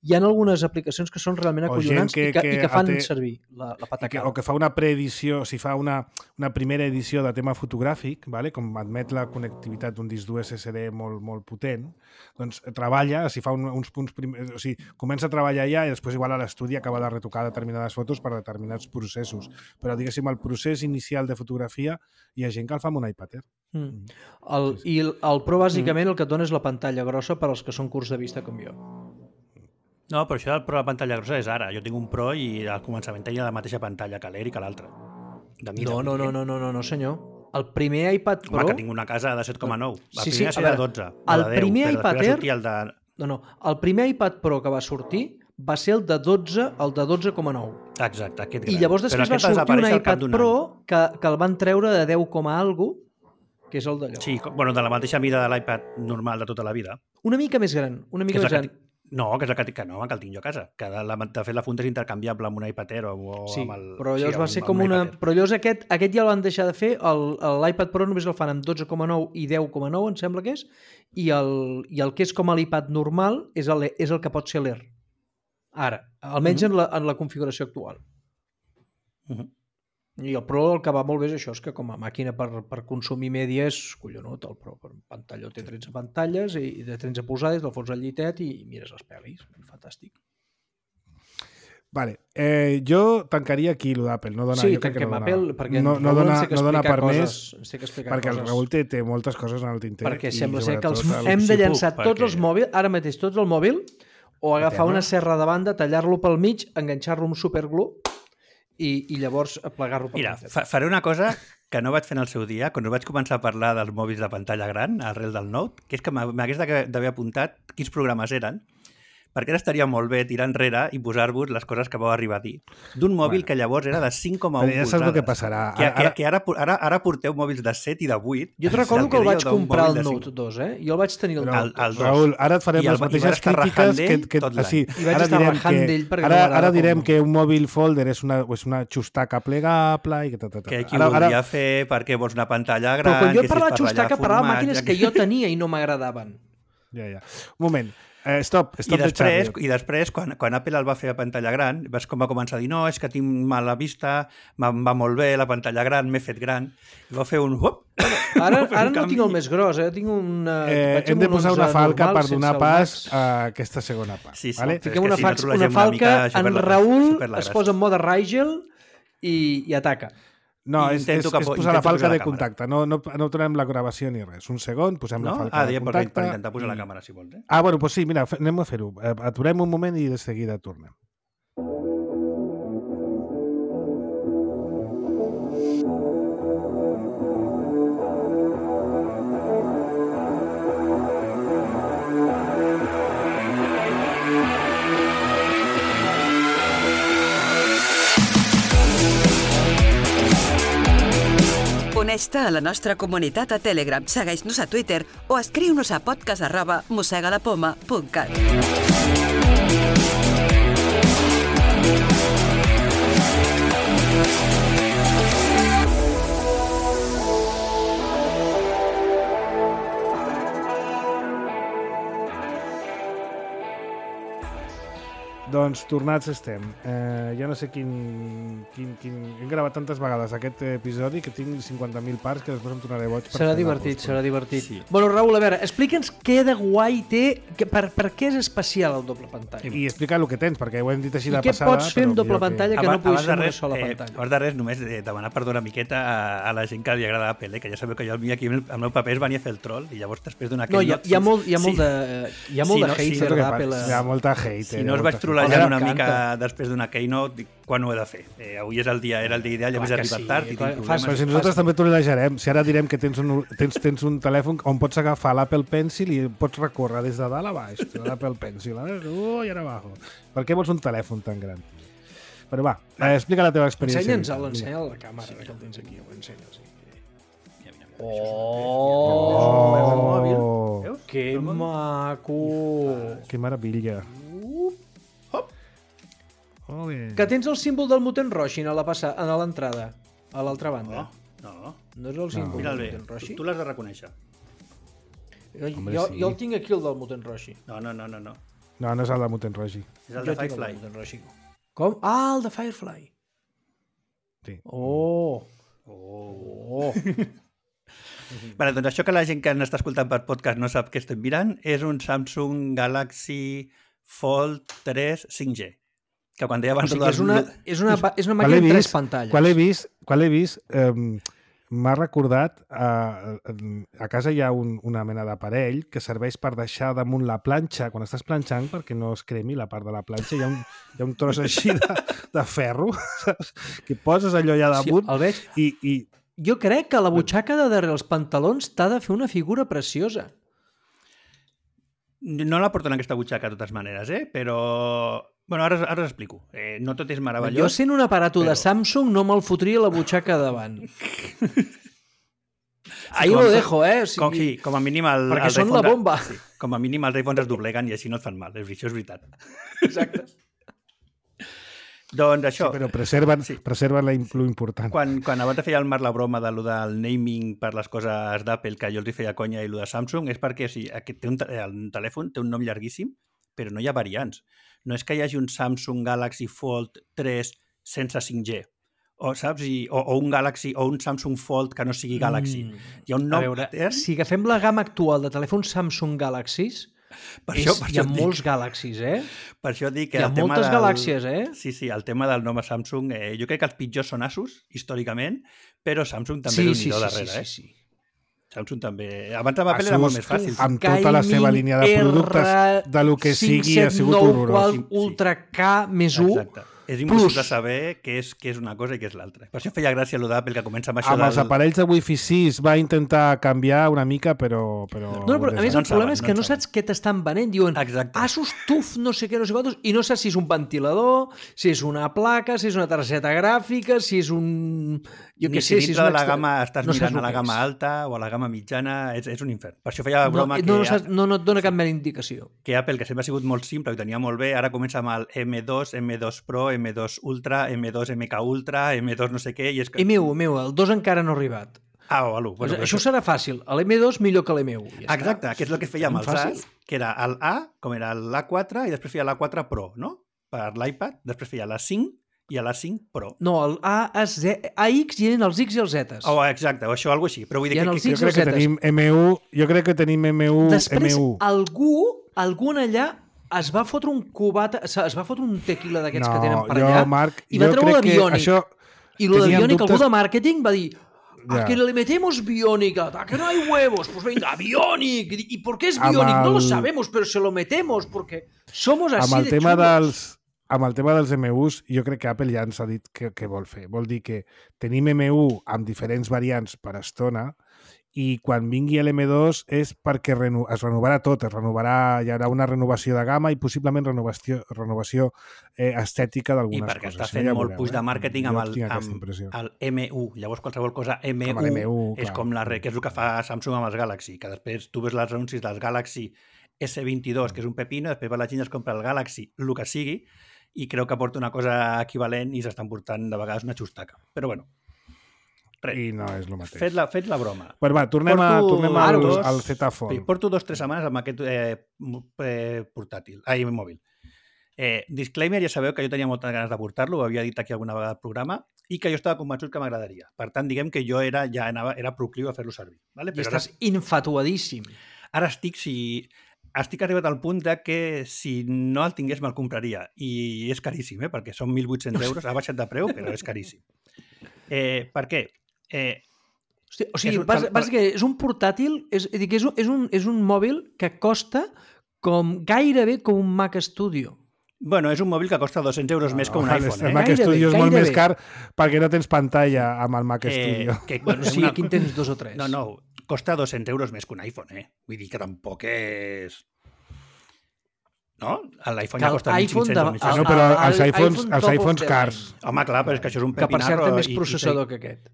hi ha algunes aplicacions que són realment O gent acollonants que- i, que, que i que fan té- servir la, la I que, patacada. o que fa una preedició, si fa una, una primera edició de tema fotogràfic, vale? Com admet la connectivitat d'un disc d'U S S D molt, molt potent, doncs treballa, si fa un, uns punts prim... o sigui, comença a treballar ja i després igual a l'estudi acaba de retocar determinades fotos per determinats processos. Però diguéssim, el procés inicial de fotografia hi ha gent que el fa amb un iPad Air. Mm. El, I el, el Pro bàsicament el que et dona és la pantalla grossa per als que són curts de vista com jo. No, però això del Pro a la pantalla grossa és ara. Jo tinc un Pro i al començament tenia la mateixa pantalla que l'Air i que l'altre. De mida, No, no, no, no, no, no, no, senyor. El primer iPad Pro... Home, que tinc una casa de set coma nou. La Sí, sí, primera a serà veure, dotze. el o de deu, primer però iPad després va Air- sortir El de... No, no. El primer iPad Pro que va sortir va ser el de dotze, el de dotze coma nou. Exacte, aquest I gran. llavors Però després va aquest sortir un desaparèixer al cap iPad d'un Pro any. que, que el van treure de deu, algo, que és el d'allò. Sí, com- bueno, de la mateixa mida de l'iPad normal de tota la vida. Una mica més gran, una Que mica és més la gran. que, ti- no, que és el que, ti- que no, que el tinc jo a casa. Que de, la, de fet la funda és intercanviable amb un iPad Air o, o Sí, amb el... però llavors sí, va amb- ser amb com un una... iPad Air. Però llavors aquest, aquest ja el van deixar de fer, el- l'iPad Pro només el fan amb dotze coma nou i deu coma nou, em sembla que és, i el, i el que és com a l'iPad normal és el, és el que pot ser l'Air. Ara, almenys Mhm. en, la, en la configuració actual. Mhm. I el Pro el que va molt bé és això, és que com a màquina per, per consumir mèdia és collonut el Pro. Per pantalla té tretze pantalles i i de tretze polzades, del fons al llitet i mires les pel·lis. Fantàstic. Vale. Eh, jo tancaria aquí lo d'Apple. No dona, Sí, jo crec que tanquem no dona, Apple, perquè no, en no Raül dona, ens té que no dona explicar per coses, més, ens té que explicar perquè el coses. Raül té, té moltes coses en el tinter. Perquè i sembla ser que els, sobretot el- hem de si puc, llançar tots perquè- els mòbils, ara mateix tots el mòbil, o agafar terra. una serra de banda, tallar-lo pel mig, enganxar-lo amb superglue i, i llavors plegar-lo per Mira, l'altre. fa, faré una cosa que no vaig fer en el seu dia, quan vaig començar a parlar dels mòbils de pantalla gran, arrel del Note, que és que m'hagués d'haver apuntat quins programes eren, perquè ara estaria molt bé tirar enrere i posar-vos les coses que vau arribar a dir. D'un mòbil bueno, que llavors era de cinc coma u polzades. Però ja saps el que passarà. Que, que, que ara, ara, ara porteu mòbils de set i de vuit. Jo et recordo que el vaig comprar el Note dos, eh? Jo el vaig tenir el Note dos. Raül, ara et farem les mateixes crítiques que... que sí, I vaig estar rajant d'ell perquè ara, ara direm que un mòbil folder és una, és una xustaca plegable i que... Que qui ho volia fer perquè vols una pantalla gran... Però quan jo parlava xustaca, parlava màquines que jo tenia i no m'agradaven. Ja, ja. Un moment. Eh, stop, stop I després, i després quan, quan Apple el va fer a pantalla gran, vas com va començar a dir no, és que tinc mala vista, em va molt bé la pantalla gran, m'he fet gran, i va fer un... Uop, ara ara no tinc el més gros, eh? Tinc una... Eh, hem de posar una falca per donar pas a aquesta segona part. Sí, sí, vale? Fiquem una, fax, una falca, en Raül es posa en mode Rigel i, i ataca. No, és, és, és posar la falca de contacte. No, no, no tornem la gravació ni res. Un segon, posem no? la falca ah, de contacte. Per intentar posar i... la càmera, si vols. Eh? Ah, bueno, doncs sí, mira, anem a fer-ho. Aturem un moment i de seguida tornem. Uneix-te a la nostra comunitat a Telegram, segueix-nos a Twitter o escriu-nos a podcast arroba mosegalapoma punt cat. Doncs tornats estem. Eh, ja no sé quin, quin, quin... Hem gravat tantes vegades aquest episodi que tinc cinquanta mil parts que després em tornaré boig. Per serà divertit, serà divertit. Sí. Bueno, Raül, a veure, explica'ns què de guai té, que, per, per què és especial el doble pantalla. I explica el que tens, perquè ho hem dit així I de què passada. Què pots fer amb doble pantalla que, que no puguis fer amb una sola eh, pantalla? Abans de res, només eh, demanar perdó una miqueta a, a la gent que li agrada Apple, eh, que ja sabeu que jo aquí el, el meu paper es venia a fer el troll i llavors després d'una... No, hi ha, hi ha molt, hi ha molt sí. de, hi ha molt sí, de no, hater sí, d'Apple. Hi ha molta hater. Si no us vaig trollejant una mica després d'una keynote, quan ho he de fer? Eh, avui és el dia, era el dia ideal, ja m'he arribat sí, tard i clar, tinc fas, problemes. Però si nosaltres també trollejarem, si ara direm que tens un, tens, tens un telèfon on pots agafar l'Apple Pencil i pots recórrer des de dalt a baix, l'Apple Pencil, uh, i ara abajo. Per què vols un telèfon tan gran? Però va, eh, explica la teva experiència. Ensenya'ns-el, ensenya la càmera, sí, que el tens aquí, ho ensenya'ls. Oh! Oh! Que maco! Que meravella! Oh, que tens el símbol del Muten Roshin a la passa, a l'entrada, a l'altra banda. No, no. No és el símbol no. del Muten Roshi? Tu, tu l'has de reconèixer. Jo, Hombre, jo, sí. jo el tinc aquí, el del Muten Roshi. No, no, no, no. No, no, no és el del Muten Roshi. És el jo de Firefly. El Roshi. Com? Ah, el de Firefly. Sí. Oh! Oh! oh. Vale, doncs això que la gent que ens està escoltant per podcast no sap què estem mirant és un Samsung Galaxy Fold tres cinc G. Que quan deia abans... O sigui, és una, és una, és una màquina amb tres pantalles. Quan l'he vist, quan l'he vist eh, m'ha recordat eh, a casa hi ha un, una mena d'aparell que serveix per deixar damunt la planxa quan estàs planxant perquè no es cremi la part de la planxa, hi ha un, hi ha un tros així de, de ferro, saps? Que poses allò allà damunt sí, el veig. i, i... Jo crec que la butxaca de darrere els pantalons t'ha de fer una figura preciosa. No la porto en aquesta butxaca de totes maneres, eh? Però... Bueno, ara, ara us explico. Eh, no tot és meravellós. Jo sent un aparato però... de Samsung no me'l fotria la butxaca davant. Ahí lo dejo, eh? O sigui... com, sí, com a mínim... El, perquè els són la bomba. Sí, com a mínim els iPhones es dobleguen i així no et fan mal. Això és veritat. Exacte. Doncs això... Sí, però preserven, sí. preserven la, lo important. Quan, quan abans de fer el Marc la broma de lo del naming per les coses d'Apple, que jo els hi feia conya, i lo de Samsung, és perquè o sigui, aquest té un, el telèfon té un nom llarguíssim, però no hi ha variants. No és que hi hagi un Samsung Galaxy Fold tres sense cinc G, o, saps? I, o, o un Galaxy o un Samsung Fold que no sigui Galaxy. Mm. Hi ha un nom... A veure, eh? Si agafem la gamma actual de telèfons Samsung Galaxys, per això, és, per hi ha molts dic. Galaxys, eh? Per això dic que hi ha el tema moltes del... galàxies, eh? Sí, sí, el tema del nom a Samsung, eh, jo crec que els pitjors són Asus, històricament, però Samsung també sí, és un sí, nidó sí, darrere, sí, eh? sí, sí. Samsung també. Abans amb Apple era molt més fàcil. Amb tota la seva línia de productes de lo que sigui ha sigut horrorós. Ultra K més u. Exacte. és impossible Plus. saber què és, què és una cosa i què és l'altra. Per això feia gràcia allò d'Apple, que comença amb això Amb els del... aparells de Wi-Fi sis va intentar canviar una mica, però... però No, no, però a més No el en problema saben, és no que en no saben. saps què t'estan venent. Diuen, Exacte. Asus T U F no sé què, no sé quantos, i no saps si és un ventilador, si és una placa, si és una targeta gràfica, si és un... Jo Ni què si sé, si és dintre un de la extra... gamma estàs no saps mirant a el la que gamma és. alta o a la gamma mitjana, és, és un infern. Per això feia No, broma no, que, no, saps, no, no et dona cap mena d'indicació. que Apple, que sempre ha sigut molt simple i ho tenia molt bé, ara comença amb el M dos, M dos Pro, M dos Ultra, M dos M K Ultra, M dos no sé què, i és que... M u, M u, el dos encara no ha arribat. Ah, o l'u. Bueno, Bueno, això serà fàcil. L'M dos millor que l'M u. Ja Exacte, està. que és el que feia amb els Fàcil. As, que era el A, com era l'A quatre, i després feia l'A quatre Pro, no? Per l'iPad, després feia l'A cinc i l'A cinc Pro. No, el A, A, Z, A X hi eren els X i els Zetes. Oh, exacte, o això, alguna així. Però vull dir Hi ha que... els que, Jo X crec que Zetes. tenim M u, jo crec que tenim M u, Després, M u. algú, algun allà es va fotre un cubata, es va fotre un tequila d'aquests No, que tenen per jo, allà Marc, i va jo treure crec que l'aviònic. això... I lo de teníem Bionic, dubtes- algú de màrqueting va dir a Ja. que le metemos Bionic, a que no hay huevos, pues venga, Bionic. ¿Y por qué es Amb Bionic? No lo el- sabemos, pero se lo metemos porque somos así amb el de tema chulos. dels amb el tema dels M Us, jo crec que Apple ja ens ha dit què, què vol fer. Vol dir que tenim M u amb diferents variants per estona i quan vingui l'M dos és perquè reno, es renovarà tot, es renovarà, hi haurà una renovació de gamma i possiblement renovació, renovació eh, estètica I d'algunes perquè coses. està Això fent ja molt veureu, puix de eh? màrqueting Jo amb, el, tinc aquesta amb impressió. el M u. Llavors, qualsevol cosa M u, Amb l'M u, és clar. com la, re- que és el que fa Samsung amb els Galaxy, que després tu ves els anuncis dels Galaxy S vint-i-dos, que és un pepino, després va la gent i es compra el Galaxy, el que sigui, i creu que porta una cosa equivalent i s'estan portant de vegades una xustaca. Però bueno, res. I no és el mateix. Fet la, fet la broma. Però va, tornem, a, Porto tornem al, dos- al Z Fold. Sí, porto dos o tres setmanes amb aquest eh, mo- eh, portàtil, ai, mòbil. Eh, disclaimer, ja sabeu que jo tenia moltes ganes de portar-lo, ho havia dit aquí alguna vegada al programa, i que jo estava convençut que m'agradaria. Per tant, diguem que jo era ja anava, era procliu a fer-lo servir. Vale? I Però estàs ara, infatuadíssim. ara estic, si, estic arribat al punt de que si no el tingués me'l compraria. I és caríssim, eh? Perquè són mil vuit-cents euros, ha baixat de preu, però és caríssim. Eh, per què? Eh, Hosti, o sigui, És un- bàs, per- bàsicament, és un portàtil, és, és, a dir, que és, un, és, un, és un mòbil que costa com gairebé com un Mac Studio. bueno, és un mòbil que costa dos-cents euros més que un Vale, iPhone. El Eh? Mac Gairebé, Studio és molt gairebé. més car perquè no tens pantalla amb el Mac Studio. que, Bueno, sí, una- aquí en tens dos o tres. No, no, costa dos-cents euros més que un iPhone, eh? Vull dir que tampoc és... No? L'iPhone Que ja costa l'iPhone mil cinc-cents de- o mil sis-cents. no, però el- els el iPhones, iPhone els top of iPhones the cars. Home, clar, però és que això és un Que per cert pepinarro. té més i- i processador té- que aquest.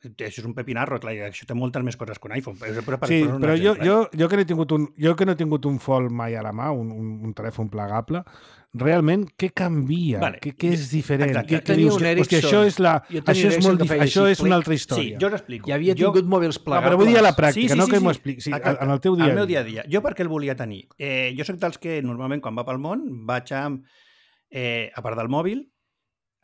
Això és un pepinarro, clar, i això té moltes més coses que un iPhone. Però, però, per Sí, posar un però jo, exemple, jo, jo, que no he tingut un, jo que no he tingut un Fold mai a la mà, un, un, un telèfon plegable, realment, què canvia? Vale. Què, què és diferent? Exacte. Què, Jo què tenia dius? un Hòstia, Ericsson. això és, la, Jo tenia això un és, Ericsson molt, que dif- feia això així, és una clic. altra Sí, història. jo us explico. Ja havia jo... tingut mòbils No, plegables. però vull dir a la pràctica, Sí, sí, no sí, que m'ho sí. expliqui. Sí, Exacte. en el teu dia. Al meu dia a dia. Jo per què el volia tenir? Eh, jo sóc dels que normalment quan va pel món vaig amb, eh, a part del mòbil,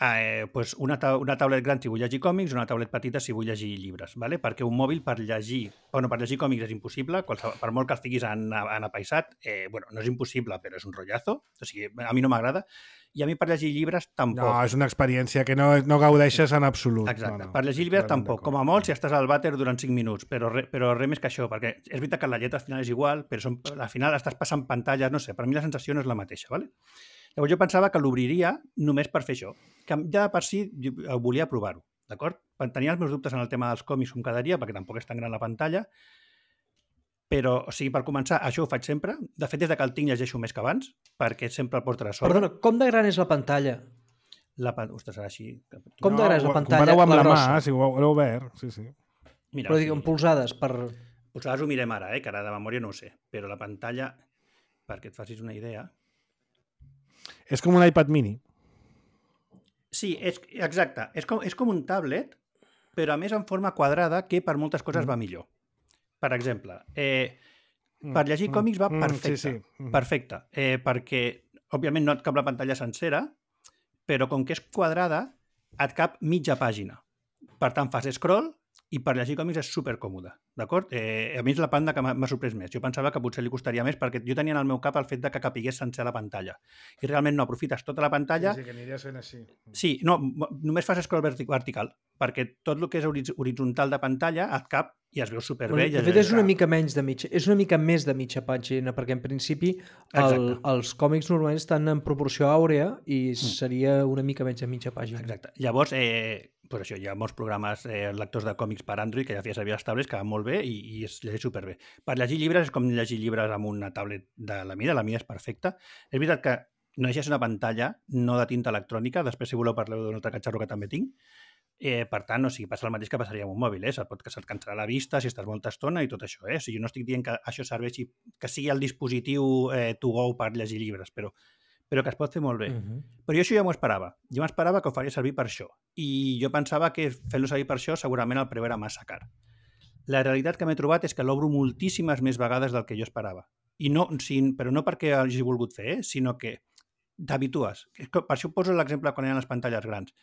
eh, pues una, ta una tablet gran si vull llegir còmics, una tablet petita si vull llegir llibres, ¿vale? Perquè un mòbil per llegir, bueno, per llegir còmics és impossible, qualsevol, per molt que els tinguis en, en apaisat, eh, bueno, no és impossible, però és un rotllazo, o sigui, a mi no m'agrada, i a mi per llegir llibres tampoc. No, és una experiència que no, no gaudeixes en absolut. Exacte. No, no, per llegir llibres totalment tampoc. d'acord. Com a molt, si estàs al vàter durant cinc minuts, però, re, però res més que això, perquè és veritat que la lletra al final és igual, però són, al final estàs passant pantalles, no sé, per mi la sensació no és la mateixa, ¿vale? Llavors jo pensava que l'obriria només per fer això, que ja per si jo volia provar-ho, d'acord? Tenia els meus dubtes en el tema dels còmics com quedaria, perquè tampoc és tan gran la pantalla, però, o sigui, per començar, això ho faig sempre. De fet, des de que el tinc llegeixo més que abans, perquè sempre el porto a sobre. Perdona, com de gran és la pantalla? La pan... Ostres, ara sí. Com de gran és la ho- pantalla? Compareu amb La la, grossa. mà, si ho heu obert. Sí, sí. Mira, Però sí. digue'm, polsades per... Posades ho mirem ara, eh, que ara de memòria no ho sé, però la pantalla, perquè et facis una idea... És com un iPad mini. Sí, és, exacte. És com, és com un tablet, però a més en forma quadrada, que per moltes coses Mm. va millor. Per exemple, eh, per llegir còmics va Mm, perfecte. Sí, sí. Mm. Perfecte. Eh, perquè, òbviament, no et cap la pantalla sencera, però com que és quadrada, et cap mitja pàgina. Per tant, fas scroll i per llegir còmics és supercòmode, d'acord? Eh, a mi és la banda que m'ha m'ha sorprès més. Jo pensava que potser li costaria més perquè jo tenia en el meu cap el fet de que capigués sencer la pantalla. I realment no, aprofites tota la pantalla... Sí, sí, que aniria sent així. Sí, no, m- només fas scroll verti- vertical, perquè tot el que és horiz- horitzontal de pantalla et cap i es veu superbé. Bueno, de fet, és una mica menys de mitja, és una mica més de mitja pàgina, perquè en principi el, Exacte. els còmics normalment estan en proporció àurea i seria una mica menys de mitja pàgina. Exacte. Llavors, eh, pues això, hi ha molts programes eh, lectors de còmics per Android que ja feia servir les tablets, que van molt bé i, i es llegeix superbé. Per llegir llibres és com llegir llibres amb una tablet de la mida, la mida és perfecta. És veritat que no llegeix una pantalla, no de tinta electrònica, després si voleu parleu d'un altre catxarro que també tinc. Eh, per tant, o sigui, passa el mateix que passaria amb un mòbil, eh? Se't pot que se't cansarà la vista si estàs molta estona i tot això, eh? O sigui, no estic dient que això serveixi, que sigui el dispositiu eh, to go per llegir llibres, però però que es pot fer molt bé. Uh -huh. Però jo això ja m'ho esperava. Jo m'esperava que ho faria servir per això. I jo pensava que fent-lo servir per això segurament el preu era massa car. La realitat que m'he trobat és que l'obro moltíssimes més vegades del que jo esperava. I no, sí, però no perquè hagi volgut fer, eh? Sinó que t'habitues. Per això poso l'exemple quan hi ha les pantalles grans.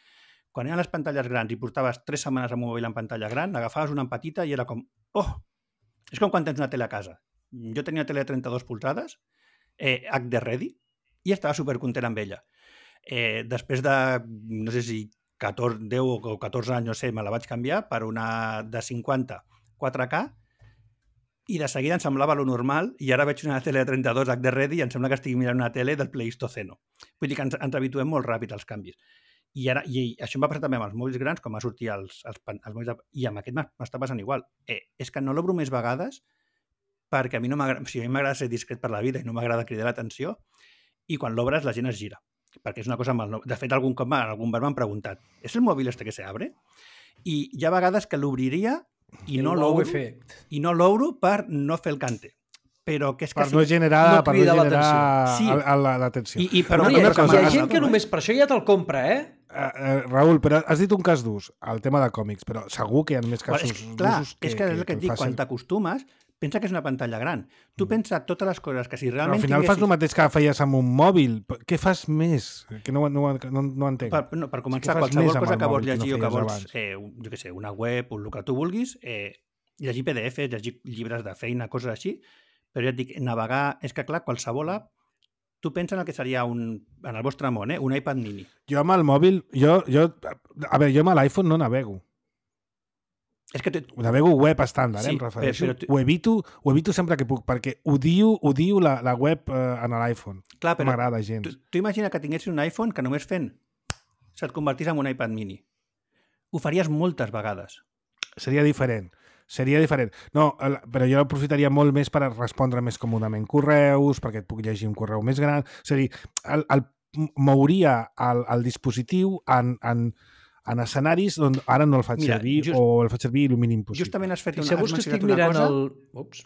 Quan hi ha les pantalles grans i portaves tres setmanes amb un mòbil en pantalla gran, agafaves una en petita i era com... Oh! És com quan tens una tele a casa. Jo tenia una tele de trenta-dos polzades, eh, H D ready, i estava supercontent amb ella. Eh, després de, no sé si catorze, deu o catorze anys, no sé, me la vaig canviar per una de cinquanta quatre K i de seguida em semblava lo normal i ara veig una tele de trenta-dos H D ready i em sembla que estic mirant una tele del Pleistoceno. Vull dir que ens, ens habituem molt ràpid als canvis. I, ara, i això em va passar també amb els mòbils grans, com va sortir els, els, els mòbils... De, I amb aquest m'està passant igual. Eh, és que no l'obro més vegades perquè a mi no m'agrada... O sigui, a mi m'agrada ser discret per la vida i no m'agrada cridar l'atenció. I quan l'obres la gent es gira, perquè és una cosa mal... De fet, algun cop algun bar m'han preguntat ¿és el mòbil este que se abre? I hi ha vegades que l'obriria i no l'obro i no l'obro per no fer el cante. Però que és que per no generar, no per no generar sí. l'atenció. I, i, però no, una hi ha, cosa hi ha més, gent que només per això ja te'l compra, eh? Uh, uh, Raül, però has dit un cas d'ús, el tema de còmics, però segur que hi ha més Bueno, casos és, clar, d'usos que, és que és el que et dic, facin. quan t'acostumes, pensa que és una pantalla gran. Tu pensa totes les coses que si Però realment al final fas el mateix que feies amb un mòbil. Què fas més? Que no, no, no, no entenc. Per, no, per començar, fas qualsevol més amb cosa el que vols mòbil que no llegir o que feies vols, abans. eh, un- jo què sé, una web, un el que tu vulguis, eh, llegir P D Fs, llegir llibres de feina, coses així, però ja et dic, navegar... És que, clar, qualsevol app, tu pensa en el que seria un, en el vostre món, eh, un iPad mini. Jo amb el mòbil, jo, jo, a veure, jo amb l'iPhone no navego. És que... Te, Navego web estàndard, Sí, eh, em refereixo. però tu- Ho, evito, ho evito sempre que puc, perquè odio, odio la, la web eh, en l'iPhone. clar, No però m'agrada gens. tu, tu imagina que tinguessis un iPhone que només fent se't convertís en un iPad mini. Ho faries moltes vegades. Seria diferent. Seria diferent. No, el- però jo aprofitaria molt més per respondre més còmodament correus, perquè et puc llegir un correu més gran. És a dir, el, el, mouria el, el dispositiu en, en, en escenaris on ara no el faig Mira, servir just- o el faig servir el mínim possible. Justament has fet una, Fixeu-vos has que estic mencionat una mirant cosa... el... Ups.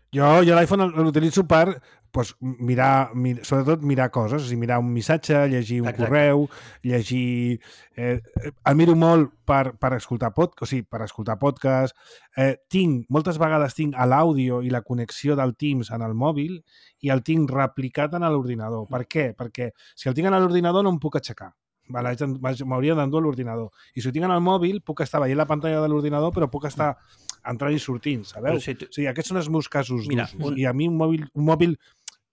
Jo, jo l'iPhone l'utilitzo per pues, mirar, mir, sobretot mirar coses, és a dir, mirar un missatge, llegir un Exacte. correu, llegir... Eh, el miro molt per, per escoltar podcast, o sigui, per escoltar podcast. Eh, tinc, moltes vegades tinc a l'àudio i la connexió del Teams en el mòbil i el tinc replicat en l'ordinador. Per què? Perquè si el tinc en l'ordinador no em puc aixecar. Vale, haig d'en- m'haig- m'hauria d'endur a l'ordinador. I si ho tinc en el mòbil, puc estar veient la pantalla de l'ordinador, però puc estar entrant i sortint, sabeu? Però si tu- O sigui, aquests són els meus casos Mira, d'usos. un- I a mi un mòbil, un mòbil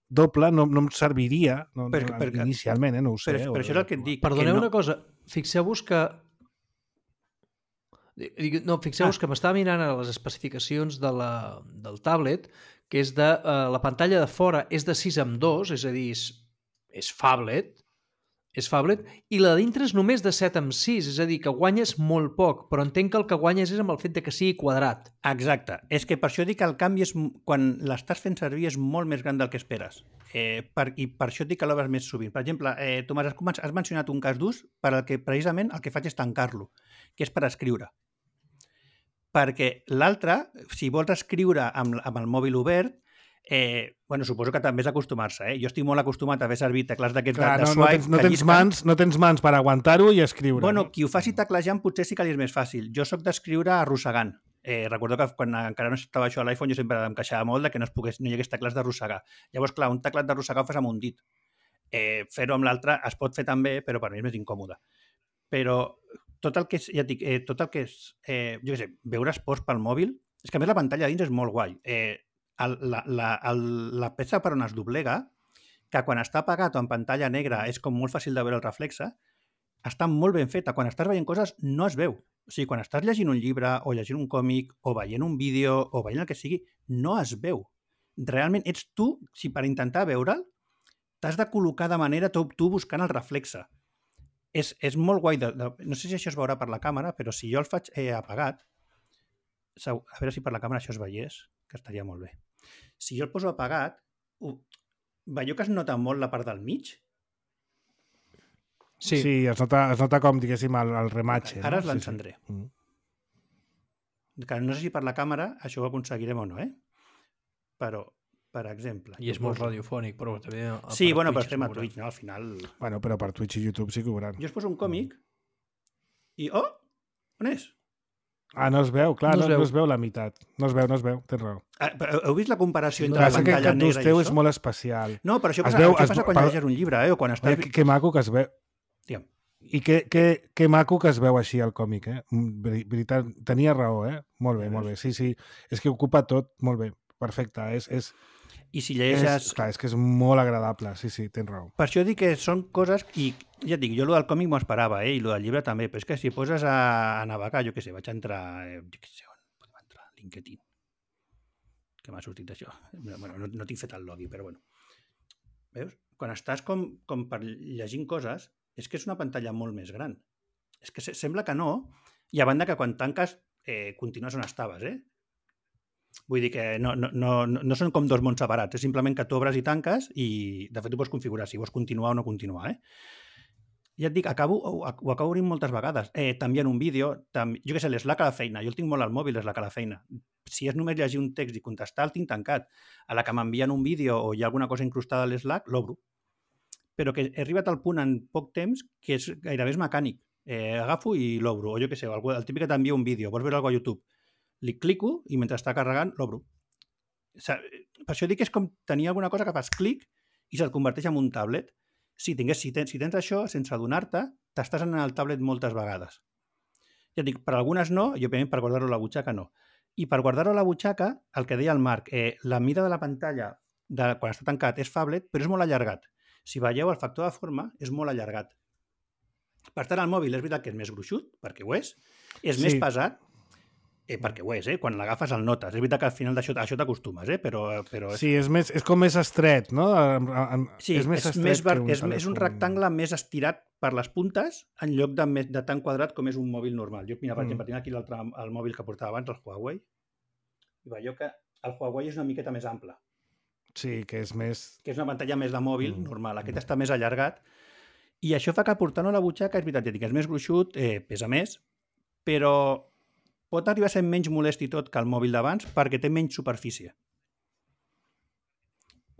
doble no, no em serviria, no, Per- no, per- inicialment, eh, no ho sé. Però, eh, però això és el que et dic. Perdoneu que no, una cosa, fixeu-vos que... Dic- No, fixeu-vos Ah. que m'estava mirant a les especificacions de la, del tablet, que és de... Eh, la pantalla de fora és de sis amb dos, és a dir, és, és phablet, és phablet, i la de dintre és només de set amb sis, és a dir, que guanyes molt poc, però entenc que el que guanyes és amb el fet de que sigui quadrat. Exacte. És que per això dic que el canvi és, m- quan l'estàs fent servir és molt més gran del que esperes. Eh, per, I per això dic que l'obres més sovint. Per exemple, eh, Tomàs, has, començat- has mencionat un cas d'ús per al que precisament el que faig és tancar-lo, que és per escriure. Perquè l'altre, si vols escriure amb, amb el mòbil obert, eh, bueno, suposo que també és acostumar-se. Eh? Jo estic molt acostumat a haver servit teclats d'aquests de, Clar, de no, no, swipe tens, no, que tens llisquen. mans, no tens mans per aguantar-ho i escriure. Bueno, no? qui ho faci teclejant potser sí que li és més fàcil. Jo sóc d'escriure arrossegant. Eh, recordo que quan encara no estava això a l'iPhone jo sempre em queixava molt de que no, es pogués, no hi hagués teclats d'arrossegar. Llavors, clar, un teclat d'arrossegar ho fas amb un dit. Eh, fer-ho amb l'altre es pot fer també, però per mi és més incòmode. Però tot el que és, ja et dic, eh, tot el que és, eh, jo què sé, veure esports pel mòbil És que a més la pantalla dins és molt guai. Eh, el, la, la, el, la peça per on es doblega, que quan està apagat o en pantalla negra és com molt fàcil de veure el reflexe, està molt ben feta. Quan estàs veient coses no es veu. O sigui, quan estàs llegint un llibre o llegint un còmic o veient un vídeo o veient el que sigui, no es veu. Realment ets tu, si per intentar veure'l, t'has de col·locar de manera tu, tu buscant el reflexe. És, és molt guai. De, de, no sé si això es veurà per la càmera, però si jo el faig eh, apagat, a veure si per la càmera això es veiés, que estaria molt bé. Si jo el poso apagat, ho, veieu que es nota molt la part del mig? Sí, sí es, nota, es nota com, diguéssim, el, el rematge. Ara no? es l'encendré. Sí, sí. Mm. Que no sé si per la càmera això ho aconseguirem o no, eh? Però, per exemple... I és molt radiofònic, però també... Sí, bueno, però estem a Twitch, no? Al final... Bueno, però per Twitch i YouTube sí que ho veuran. Jo us poso un còmic i... Oh! On és? Ah, no es veu, clar, no, no, es, veu. no es veu la meitat. No es veu, no es veu, tens raó. Ah, heu vist la comparació entre no, la pantalla que, negra i això? Que el teu és molt especial. No, però això es passa, veu, això es, passa quan per... llegeixes un llibre, eh? O quan estàs... Que, que maco que es veu... Digue'm. I que, que, que maco que es veu així el còmic, eh? Veritat, tenia raó, eh? Molt bé, molt bé. Sí, sí, és que ocupa tot molt bé. Perfecte, és... és I si llegeixes... És, clar, és que és molt agradable, sí, sí, tens raó. Per això dic que són coses... I ja et dic, jo el del còmic m'ho esperava, eh? I el del llibre també, però és que si poses a, a navegar, jo què sé, vaig entrar... Eh, jo què sé, on podem entrar? LinkedIn. Que m'ha sortit això. Bueno, no, no tinc fet el login, però bueno. Veus? Quan estàs com, com per llegint coses, és que és una pantalla molt més gran. És que sembla que no, i a banda que quan tanques eh, continues on estaves, eh? Vull dir que no, no, no, no són com dos mons separats, és simplement que tu obres i tanques i, de fet, ho pots configurar si vols continuar o no continuar, eh? Ja et dic, acabo, ho, ho acabo obrint moltes vegades. Eh, també en un vídeo, també, jo què sé, l'Slack a la feina, jo el tinc molt al mòbil, l'Slack a la feina. Si és només llegir un text i contestar, el tinc tancat. A la que m'envien un vídeo o hi ha alguna cosa incrustada a l'Slack, l'obro. Però que he arribat al punt en poc temps que és gairebé és mecànic. Eh, agafo i l'obro. O jo què sé, el, el típic que t'envia un vídeo, vols veure alguna cosa a YouTube, li clico i mentre està carregant l'obro. O sigui, per això dic que és com tenir alguna cosa que fas clic i se't converteix en un tablet. Si, tingués, si, tens, si tens això, sense adonar-te, t'estàs en el tablet moltes vegades. Ja dic, per algunes no, i òbviament per guardar-ho a la butxaca no. I per guardar-ho a la butxaca, el que deia el Marc, eh, la mida de la pantalla de, quan està tancat és phablet, però és molt allargat. Si veieu, el factor de forma és molt allargat. Per tant, el mòbil és veritat que és més gruixut, perquè ho és, és sí. més pesat, eh, perquè ho és, eh? Quan l'agafes el notes. És veritat que al final d'això això t'acostumes, eh? però, però és... Sí, és, més, és com més estret, no? Sí, és, més és, més bar... un és, és un rectangle més estirat per les puntes en lloc de, més, de tan quadrat com és un mòbil normal. Jo, mira, per mm. exemple, tinc aquí l'altre el mòbil que portava abans, el Huawei, i veieu que el Huawei és una miqueta més ample. Sí, que és més... Que és una pantalla més de mòbil mm. normal. Aquest mm. està més allargat. I això fa que portant-ho a la butxaca, és veritat, que és més gruixut, eh, pesa més, però pot arribar a ser menys molest i tot que el mòbil d'abans perquè té menys superfície.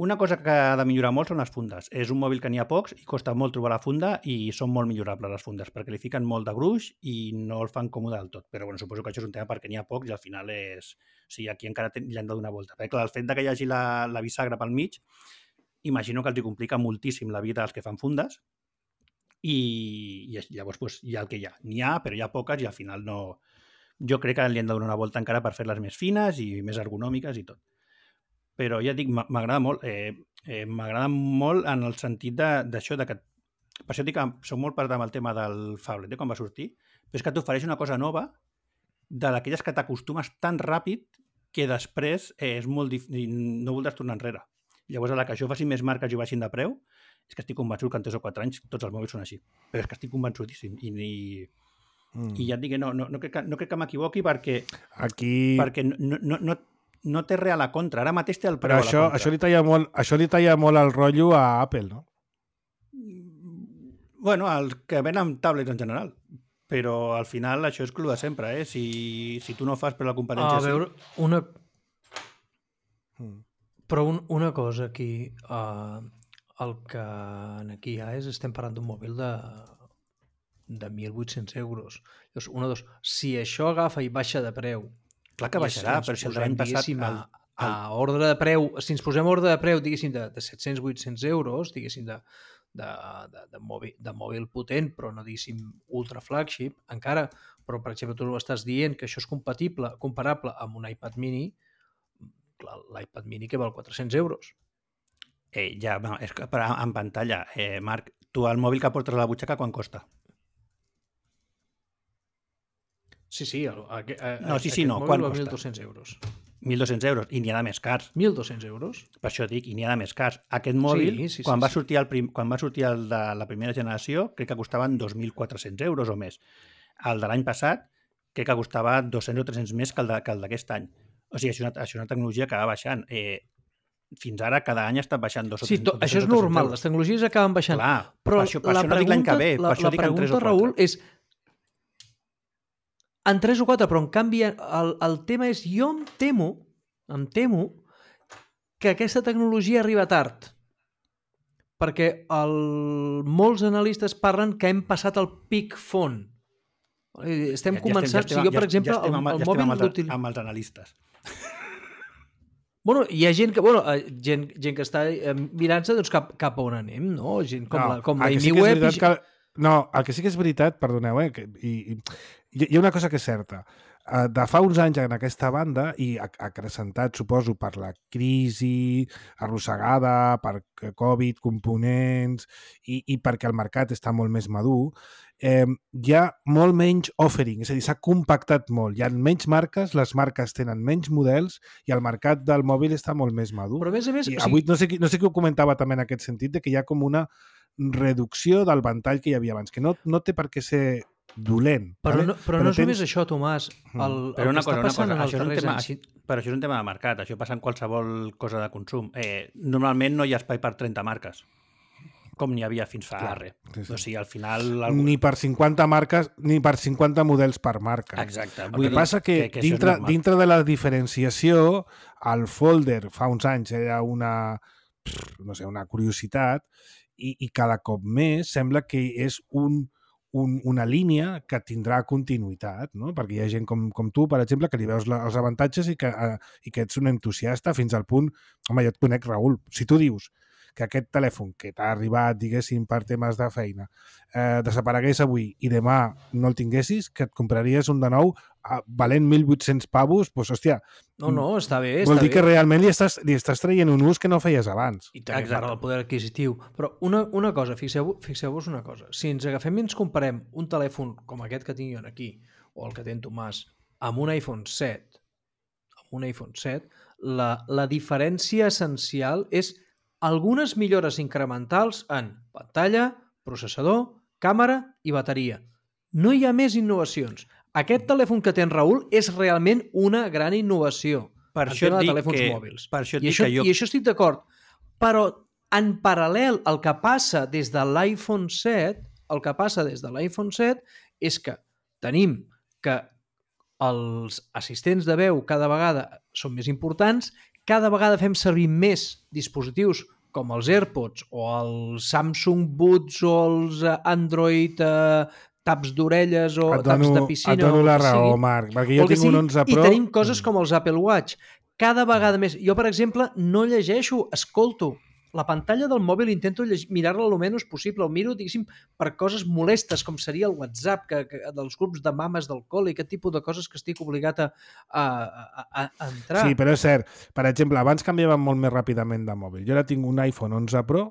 Una cosa que ha de millorar molt són les fundes. És un mòbil que n'hi ha pocs i costa molt trobar la funda i són molt millorables les fundes perquè li fiquen molt de gruix i no el fan còmode del tot. Però bueno, suposo que això és un tema perquè n'hi ha pocs i al final és... O sigui, aquí encara li han de donar volta. Perquè clar, el fet de que hi hagi la, la bisagra pel mig, imagino que els hi complica moltíssim la vida als que fan fundes i, i llavors pues, hi ha el que hi ha. N'hi ha, però hi ha poques i al final no... Jo crec que li han de donar una volta encara per fer-les més fines i més ergonòmiques i tot. Però ja dic, m'agrada molt, eh, eh, m'agrada molt en el sentit d'això, de, de que, per això dic que soc molt part amb el tema del phablet, eh, quan va sortir, però és que t'ofereix una cosa nova de d'aquelles que t'acostumes tan ràpid que després eh, és molt difícil, no voldràs tornar enrere. Llavors, a la que això faci més marques i baixin de preu, és que estic convençut que en tres o quatre anys tots els mòbils són així. Però és que estic convençudíssim. I, i, mm. i ja et dic que no, no, no crec que, no crec que m'equivoqui perquè, Aquí... perquè no, no, no, no té res a la contra. Ara mateix té el preu Però a la això, contra. Això li talla molt, això li talla molt el rotllo a Apple, no? Bueno, el que ven amb tablets en general. Però al final això és cru de sempre, eh? Si, si tu no fas per la competència... A veure, una... Mm. Però un, una cosa aquí, uh, el que aquí hi ha és, estem parlant d'un mòbil de, de mil vuit-cents euros. Llavors, una, dos, si això agafa i baixa de preu... Clar que baixarà, però si el l'any passat... El, el... A, a ordre de preu, si ens posem ordre de preu, diguéssim, de, de set-cents a vuit-cents euros, diguéssim, de, de, de, de, mòbil, de mòbil potent, però no diguéssim ultra flagship, encara però, per exemple, tu estàs dient que això és compatible, comparable amb un iPad mini, clar, l'iPad mini que val quatre-cents euros. Eh, ja, no, és que per, en pantalla, eh, Marc, tu el mòbil que portes a la butxaca quan costa? Sí, sí, el, a, a, No, sí, sí, aquest no, mòbil quan val costa? mil dos-cents euros. mil dos-cents euros, i n'hi ha de més cars. mil dos-cents euros? Per això dic, i n'hi ha de més cars. Aquest mòbil, Sí, sí, sí, quan, va sí. sortir el prim, quan va sortir el de la primera generació, crec que costaven dos mil quatre-cents euros o més. El de l'any passat, crec que costava dos-cents o tres-cents més que el de- que el d'aquest any. O sigui, això és una, això és una tecnologia que va baixant. Eh, fins ara, cada any ha estat baixant dos o Sí, tres- to, dos-cents això és o tres-cents normal, euros. les tecnologies acaben baixant. Clar, però per això, per la això no dic l'any que ve, la, per això la dic en tres pregunta, o quatre. Raül, és en tres o quatre, però en canvi el, el tema és, jo em temo, em temo que aquesta tecnologia arriba tard, perquè el, molts analistes parlen que hem passat el peak phone. Estem Ja- ja començant, estem- si jo, per ja- exemple, ja estem el, amb, el ja estem mòbil amb, els, l'util... amb els analistes. Bueno, hi ha gent que, bueno, eh, gent, gent que està eh, mirant-se doncs, cap, cap a on anem, no? Gent com No, la, com el la que sí Amy que és Webb. veritat que- No, el que sí que és veritat, perdoneu, eh, que, i, i, hi ha una cosa que és certa. Eh, De fa uns anys en aquesta banda, i ac- acrecentat, suposo, per la crisi arrossegada, per Covid, components, i, i perquè el mercat està molt més madur, eh, hi ha molt menys offering, és a dir, s'ha compactat molt. Hi ha menys marques, les marques tenen menys models i el mercat del mòbil està molt més madur. Però a més a més... I o avui sigui, no sé, qui- no sé qui ho comentava també en aquest sentit, de que hi ha com una reducció del ventall que hi havia abans, que no, no té per què ser dolent. però vale? no, però no és només això, Tomàs. El, el Però una que cosa, està una passant cosa, en els això és, un darrers tema, anys... això, però això és un tema de mercat, això passa en qualsevol cosa de consum. Eh, normalment no hi ha espai per trenta marques, com n'hi havia fins fa Clar, res. sí, sí. O sigui, al final... Algú... Ni per cinquanta marques, ni per cinquanta models per marca. Exacte. El vull que dir passa que, que això és dintre, normal. dintre de la diferenciació, el folder fa uns anys era una, no sé, una curiositat i, i cada cop més sembla que és un, un, una línia que tindrà continuïtat, no? Perquè hi ha gent com, com tu, per exemple, que li veus la, els avantatges i que, eh, i que ets un entusiasta fins al punt... Home, jo et conec, Raül. Si tu dius que aquest telèfon que t'ha arribat, diguéssim, per temes de feina, eh, desaparegués avui i demà no el tinguessis, que et compraries un de nou eh, valent mil vuit-cents pavos, doncs, hòstia, No, no, està bé, vol està dir bé. que realment li estàs, li estàs traient un ús que no feies abans. I també Exacte. parla del poder adquisitiu. Però una, una cosa, fixeu-vos fixeu una cosa. Si ens agafem i ens comparem un telèfon com aquest que tinc jo aquí, o el que té en Tomàs, amb un iPhone set, amb un iPhone set, la, la diferència essencial és algunes millores incrementals en pantalla, processador, càmera i bateria. No hi ha més innovacions. Aquest telèfon que té en Raül és realment una gran innovació. Per en això tema et de dic telèfons que- mòbils. per això et I, dic això, que jo- I això estic d'acord. Però en paral·lel el que passa des de l'iPhone set, el que passa des de l'iPhone set és que tenim que els assistents de veu cada vegada són més importants, cada vegada fem servir més dispositius com els AirPods o els Samsung Buds o els eh, Android eh, taps d'orelles o Et taps dono, de piscina. et dono o el la que raó, sigui. Marc, perquè O jo el que tinc un sigui, onze Pro... I tenim coses Mm. com els Apple Watch. Cada vegada més... Jo, per exemple, no llegeixo, escolto. La pantalla del mòbil intento lleg- mirar-la el menys possible. El miro, diguéssim, per coses molestes, com seria el WhatsApp, que, que, dels grups de mames del col·le, aquest tipus de coses que estic obligat a, a, a, a entrar. Sí, però és cert. Per exemple, abans canviàvem molt més ràpidament de mòbil. Jo ara tinc un iPhone onze Pro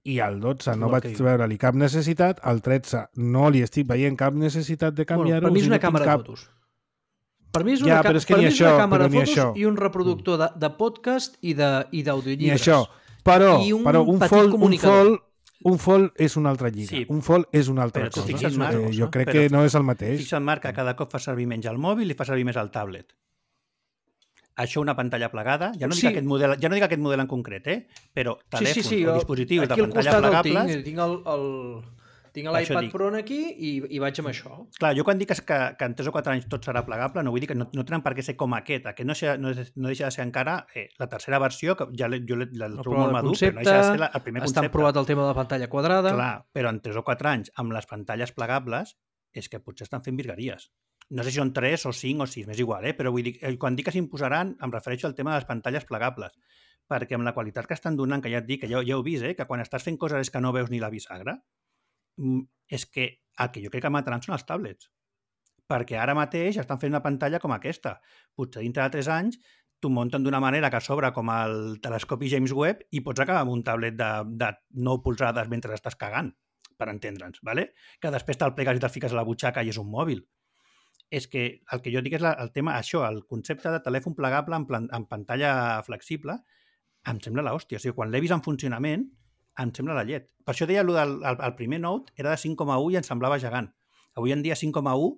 i el dotze no Igual vaig que jo. veure-li cap necessitat, el tretze no li estic veient cap necessitat de Bueno, canviar-ho. per mi o és sigui, una no tinc càmera cap... de fotos. Per mi és Ja, una, ca- però és que per ni mi és això, una càmera però de ni fotos això. i un reproductor de, de podcast i de- i Ni d'audiollibres. això. Però, I un però un petit fold, un comunicador. fold, un fold és una altra lliga. Sí. Un fold és una altra Però tu cosa. fixa't, Marc, Eh, jo crec però que no és el mateix. Fixa't, Marc, que cada cop fa servir menys el mòbil i fa servir més el tablet. Això una pantalla plegada, ja no, Sí. dic aquest model, ja no dic aquest model en concret, eh? però Sí, telèfons sí, sí. o jo- dispositius de aquí al pantalla costat el plegables... tinc, tinc el, el, tinc Per això l'iPad dic. Pro aquí i, i vaig amb això. Clar, jo quan dic que, que en tres o quatre anys tot serà plegable, no vull dir que no, no tenen per què ser com aquest. Aquest no, deixa, no, és- no deixa de ser encara eh, la tercera versió, que ja l'he- jo l'he- la El trobo molt prova de madur, concepte, però no deixa de ser la, el primer estan concepte. provat el tema de la pantalla quadrada. Clar, però en tres o quatre anys, amb les pantalles plegables, és que potser estan fent virgueries. No sé si són tres o cinc o sis, m'és igual, eh? però vull dir, eh, quan dic que s'imposaran, em refereixo al tema de les pantalles plegables, perquè amb la qualitat que estan donant, que ja et dic, que ja, ja heu vist, eh? que quan estàs fent coses és que no veus ni la bisagra, mm, és que el que jo crec que mataran són els tablets. perquè ara mateix estan fent una pantalla com aquesta. Potser dintre de tres anys t'ho munten d'una manera que s'obre com el telescopi James Webb i pots acabar amb un tablet de, de nou polzades mentre estàs cagant, per entendre'ns, ¿vale? Que després te'l plegues i te'l fiques a la butxaca i és un mòbil. És que el que jo dic és la, el tema, això, el concepte de telèfon plegable en, plan, en pantalla flexible, em sembla l'hòstia. O sigui, quan l'he vist en funcionament, em sembla la llet. Per això deia el, el, el primer Note era de cinc coma u i em semblava gegant. Avui en dia cinc coma u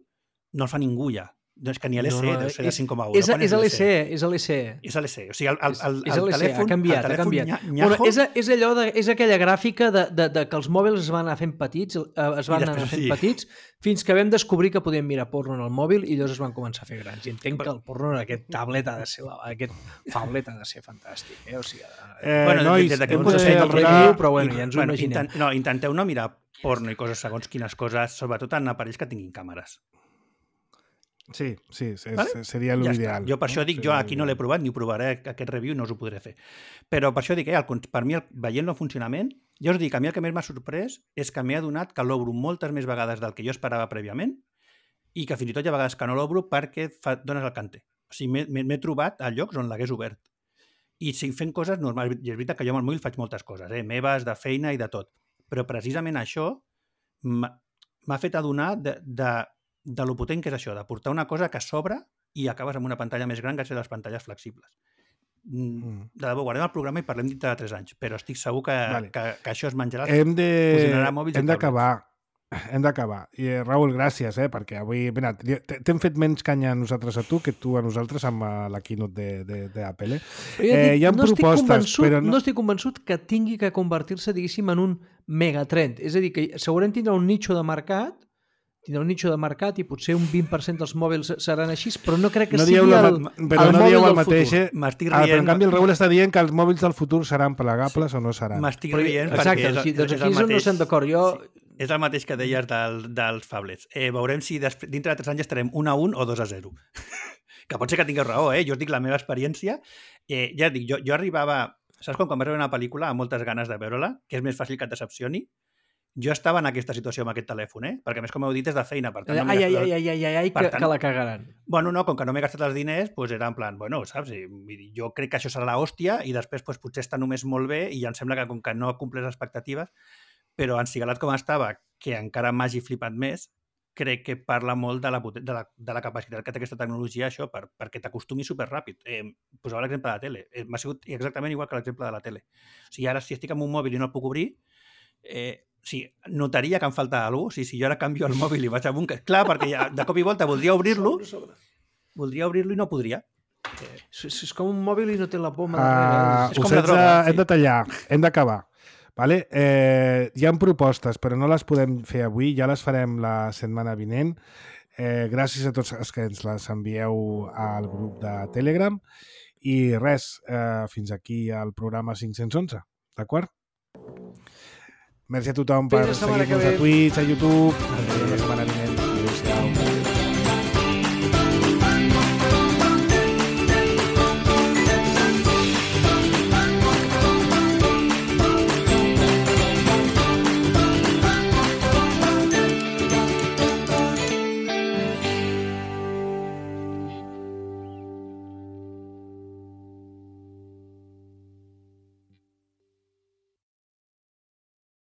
no el fa ningú ja. Doncs que ni l'E C E no, no, deu ser de cinc coma u. És, no? és l'E C E, és l'E C E. És l'E C E. O sigui, el, el, el, és el telèfon... Ha canviat, el telèfon ha canviat. Nyajo... Bueno, és, és, allò de, és aquella gràfica de, de, de que els mòbils es van anar fent petits, es van anar fent sí. petits, fins que vam descobrir que podíem mirar porno en el mòbil i llavors es van començar a fer grans. I entenc que el porno en aquest tablet ha de ser, aquest tablet ha de ser fantàstic. Eh? O sigui, eh, bueno, nois, des, des hem de de fer el review, però bueno, i, ja ens ho bueno, imaginem. Intent, no, intenteu no mirar porno i coses segons quines coses, sobretot en aparells que tinguin càmeres. Sí, sí, és, vale? seria l'ideal. Ja jo per no? això dic, jo aquí no l'he provat ni ho provaré, aquest review no us ho podré fer. Però per això dic, eh, el, per mi, el, veient-lo en funcionament, jo us dic, a mi el que més m'ha sorprès és que m'he adonat que l'obro moltes més vegades del que jo esperava prèviament i que fins i tot hi ha vegades que no l'obro perquè fa, dones el cante. O sigui, m'he trobat a llocs on l'hagués obert. I sí, fent coses normals. I és veritat que jo amb el mòbil faig moltes coses, eh, meves, de feina i de tot. Però precisament això m'ha fet adonar de, de de lo potent que és això, de portar una cosa que s'obre i acabes amb una pantalla més gran gràcies a les pantalles flexibles. Mm. De debò, guardem el programa i parlem dintre de tres anys, però estic segur que, vale. que, que això es menjarà, hem de... fusionarà mòbils hem d'acabar. Hem d'acabar. I Raül, gràcies, eh, perquè avui... T'hem fet menys canya a nosaltres a tu que tu a nosaltres amb la keynote d'Apple. Eh? Eh, hi ha no propostes, però... No... no estic convençut que tingui que convertir-se, diguéssim, en un megatrend. És a dir, que segurament tindrà un nicho de mercat tindrà un nicho de mercat i potser un vint per cent dels mòbils seran així, però no crec que no sigui la, el, però el no mòbil el del mateix, futur. Eh? Ah, però en canvi el Raül està dient que els mòbils del futur seran plegables sí. o no seran. M'estic rient Exacte, perquè és, sí, doncs és, aquí és és on no estem d'acord. Jo... Sí, és el mateix que deies del, dels phablets. Eh, veurem si després, dintre de tres anys estarem un a un o dos a zero. Que pot ser que tingueu raó, eh? Jo us dic la meva experiència. Eh, ja dic, jo, jo arribava... Saps quan, quan vas veure una pel·lícula amb moltes ganes de veure-la, que és més fàcil que et decepcioni? Jo estava en aquesta situació amb aquest telèfon, eh? Perquè, més com heu dit, és de feina. Per tant, no ai, ai, ai, ai, ai, ai, que, tant, que la cagaran. Bueno, no, com que no m'he gastat els diners, doncs era en plan, bueno, saps? Jo crec que això serà l'hòstia i després doncs, potser està només molt bé i em sembla que com que no compleix les expectatives, però encigalat com estava, que encara m'hagi flipat més, crec que parla molt de la, de la, de la capacitat que té aquesta tecnologia, això, per, perquè t'acostumi superràpid. Eh, posava l'exemple de la tele. Eh, m'ha sigut exactament igual que l'exemple de la tele. O sigui, ara si estic amb un mòbil i no el puc obrir, eh, sí, notaria que em falta alguna cosa. O sigui, si jo ara canvio el mòbil i vaig amb un... Clar, perquè ja, de cop i volta voldria obrir-lo, voldria obrir-lo i no podria. Eh, és, és com un mòbil i no té la poma. Uh, és com la droga. Hem sí. de tallar, hem d'acabar. Vale? Eh, hi ha propostes, però no les podem fer avui, ja les farem la setmana vinent. Eh, gràcies a tots els que ens les envieu al grup de Telegram. I res, eh, fins aquí al programa cinc-cents onze, d'acord? Merci a tothom per seguir-nos a Twitch, a YouTube.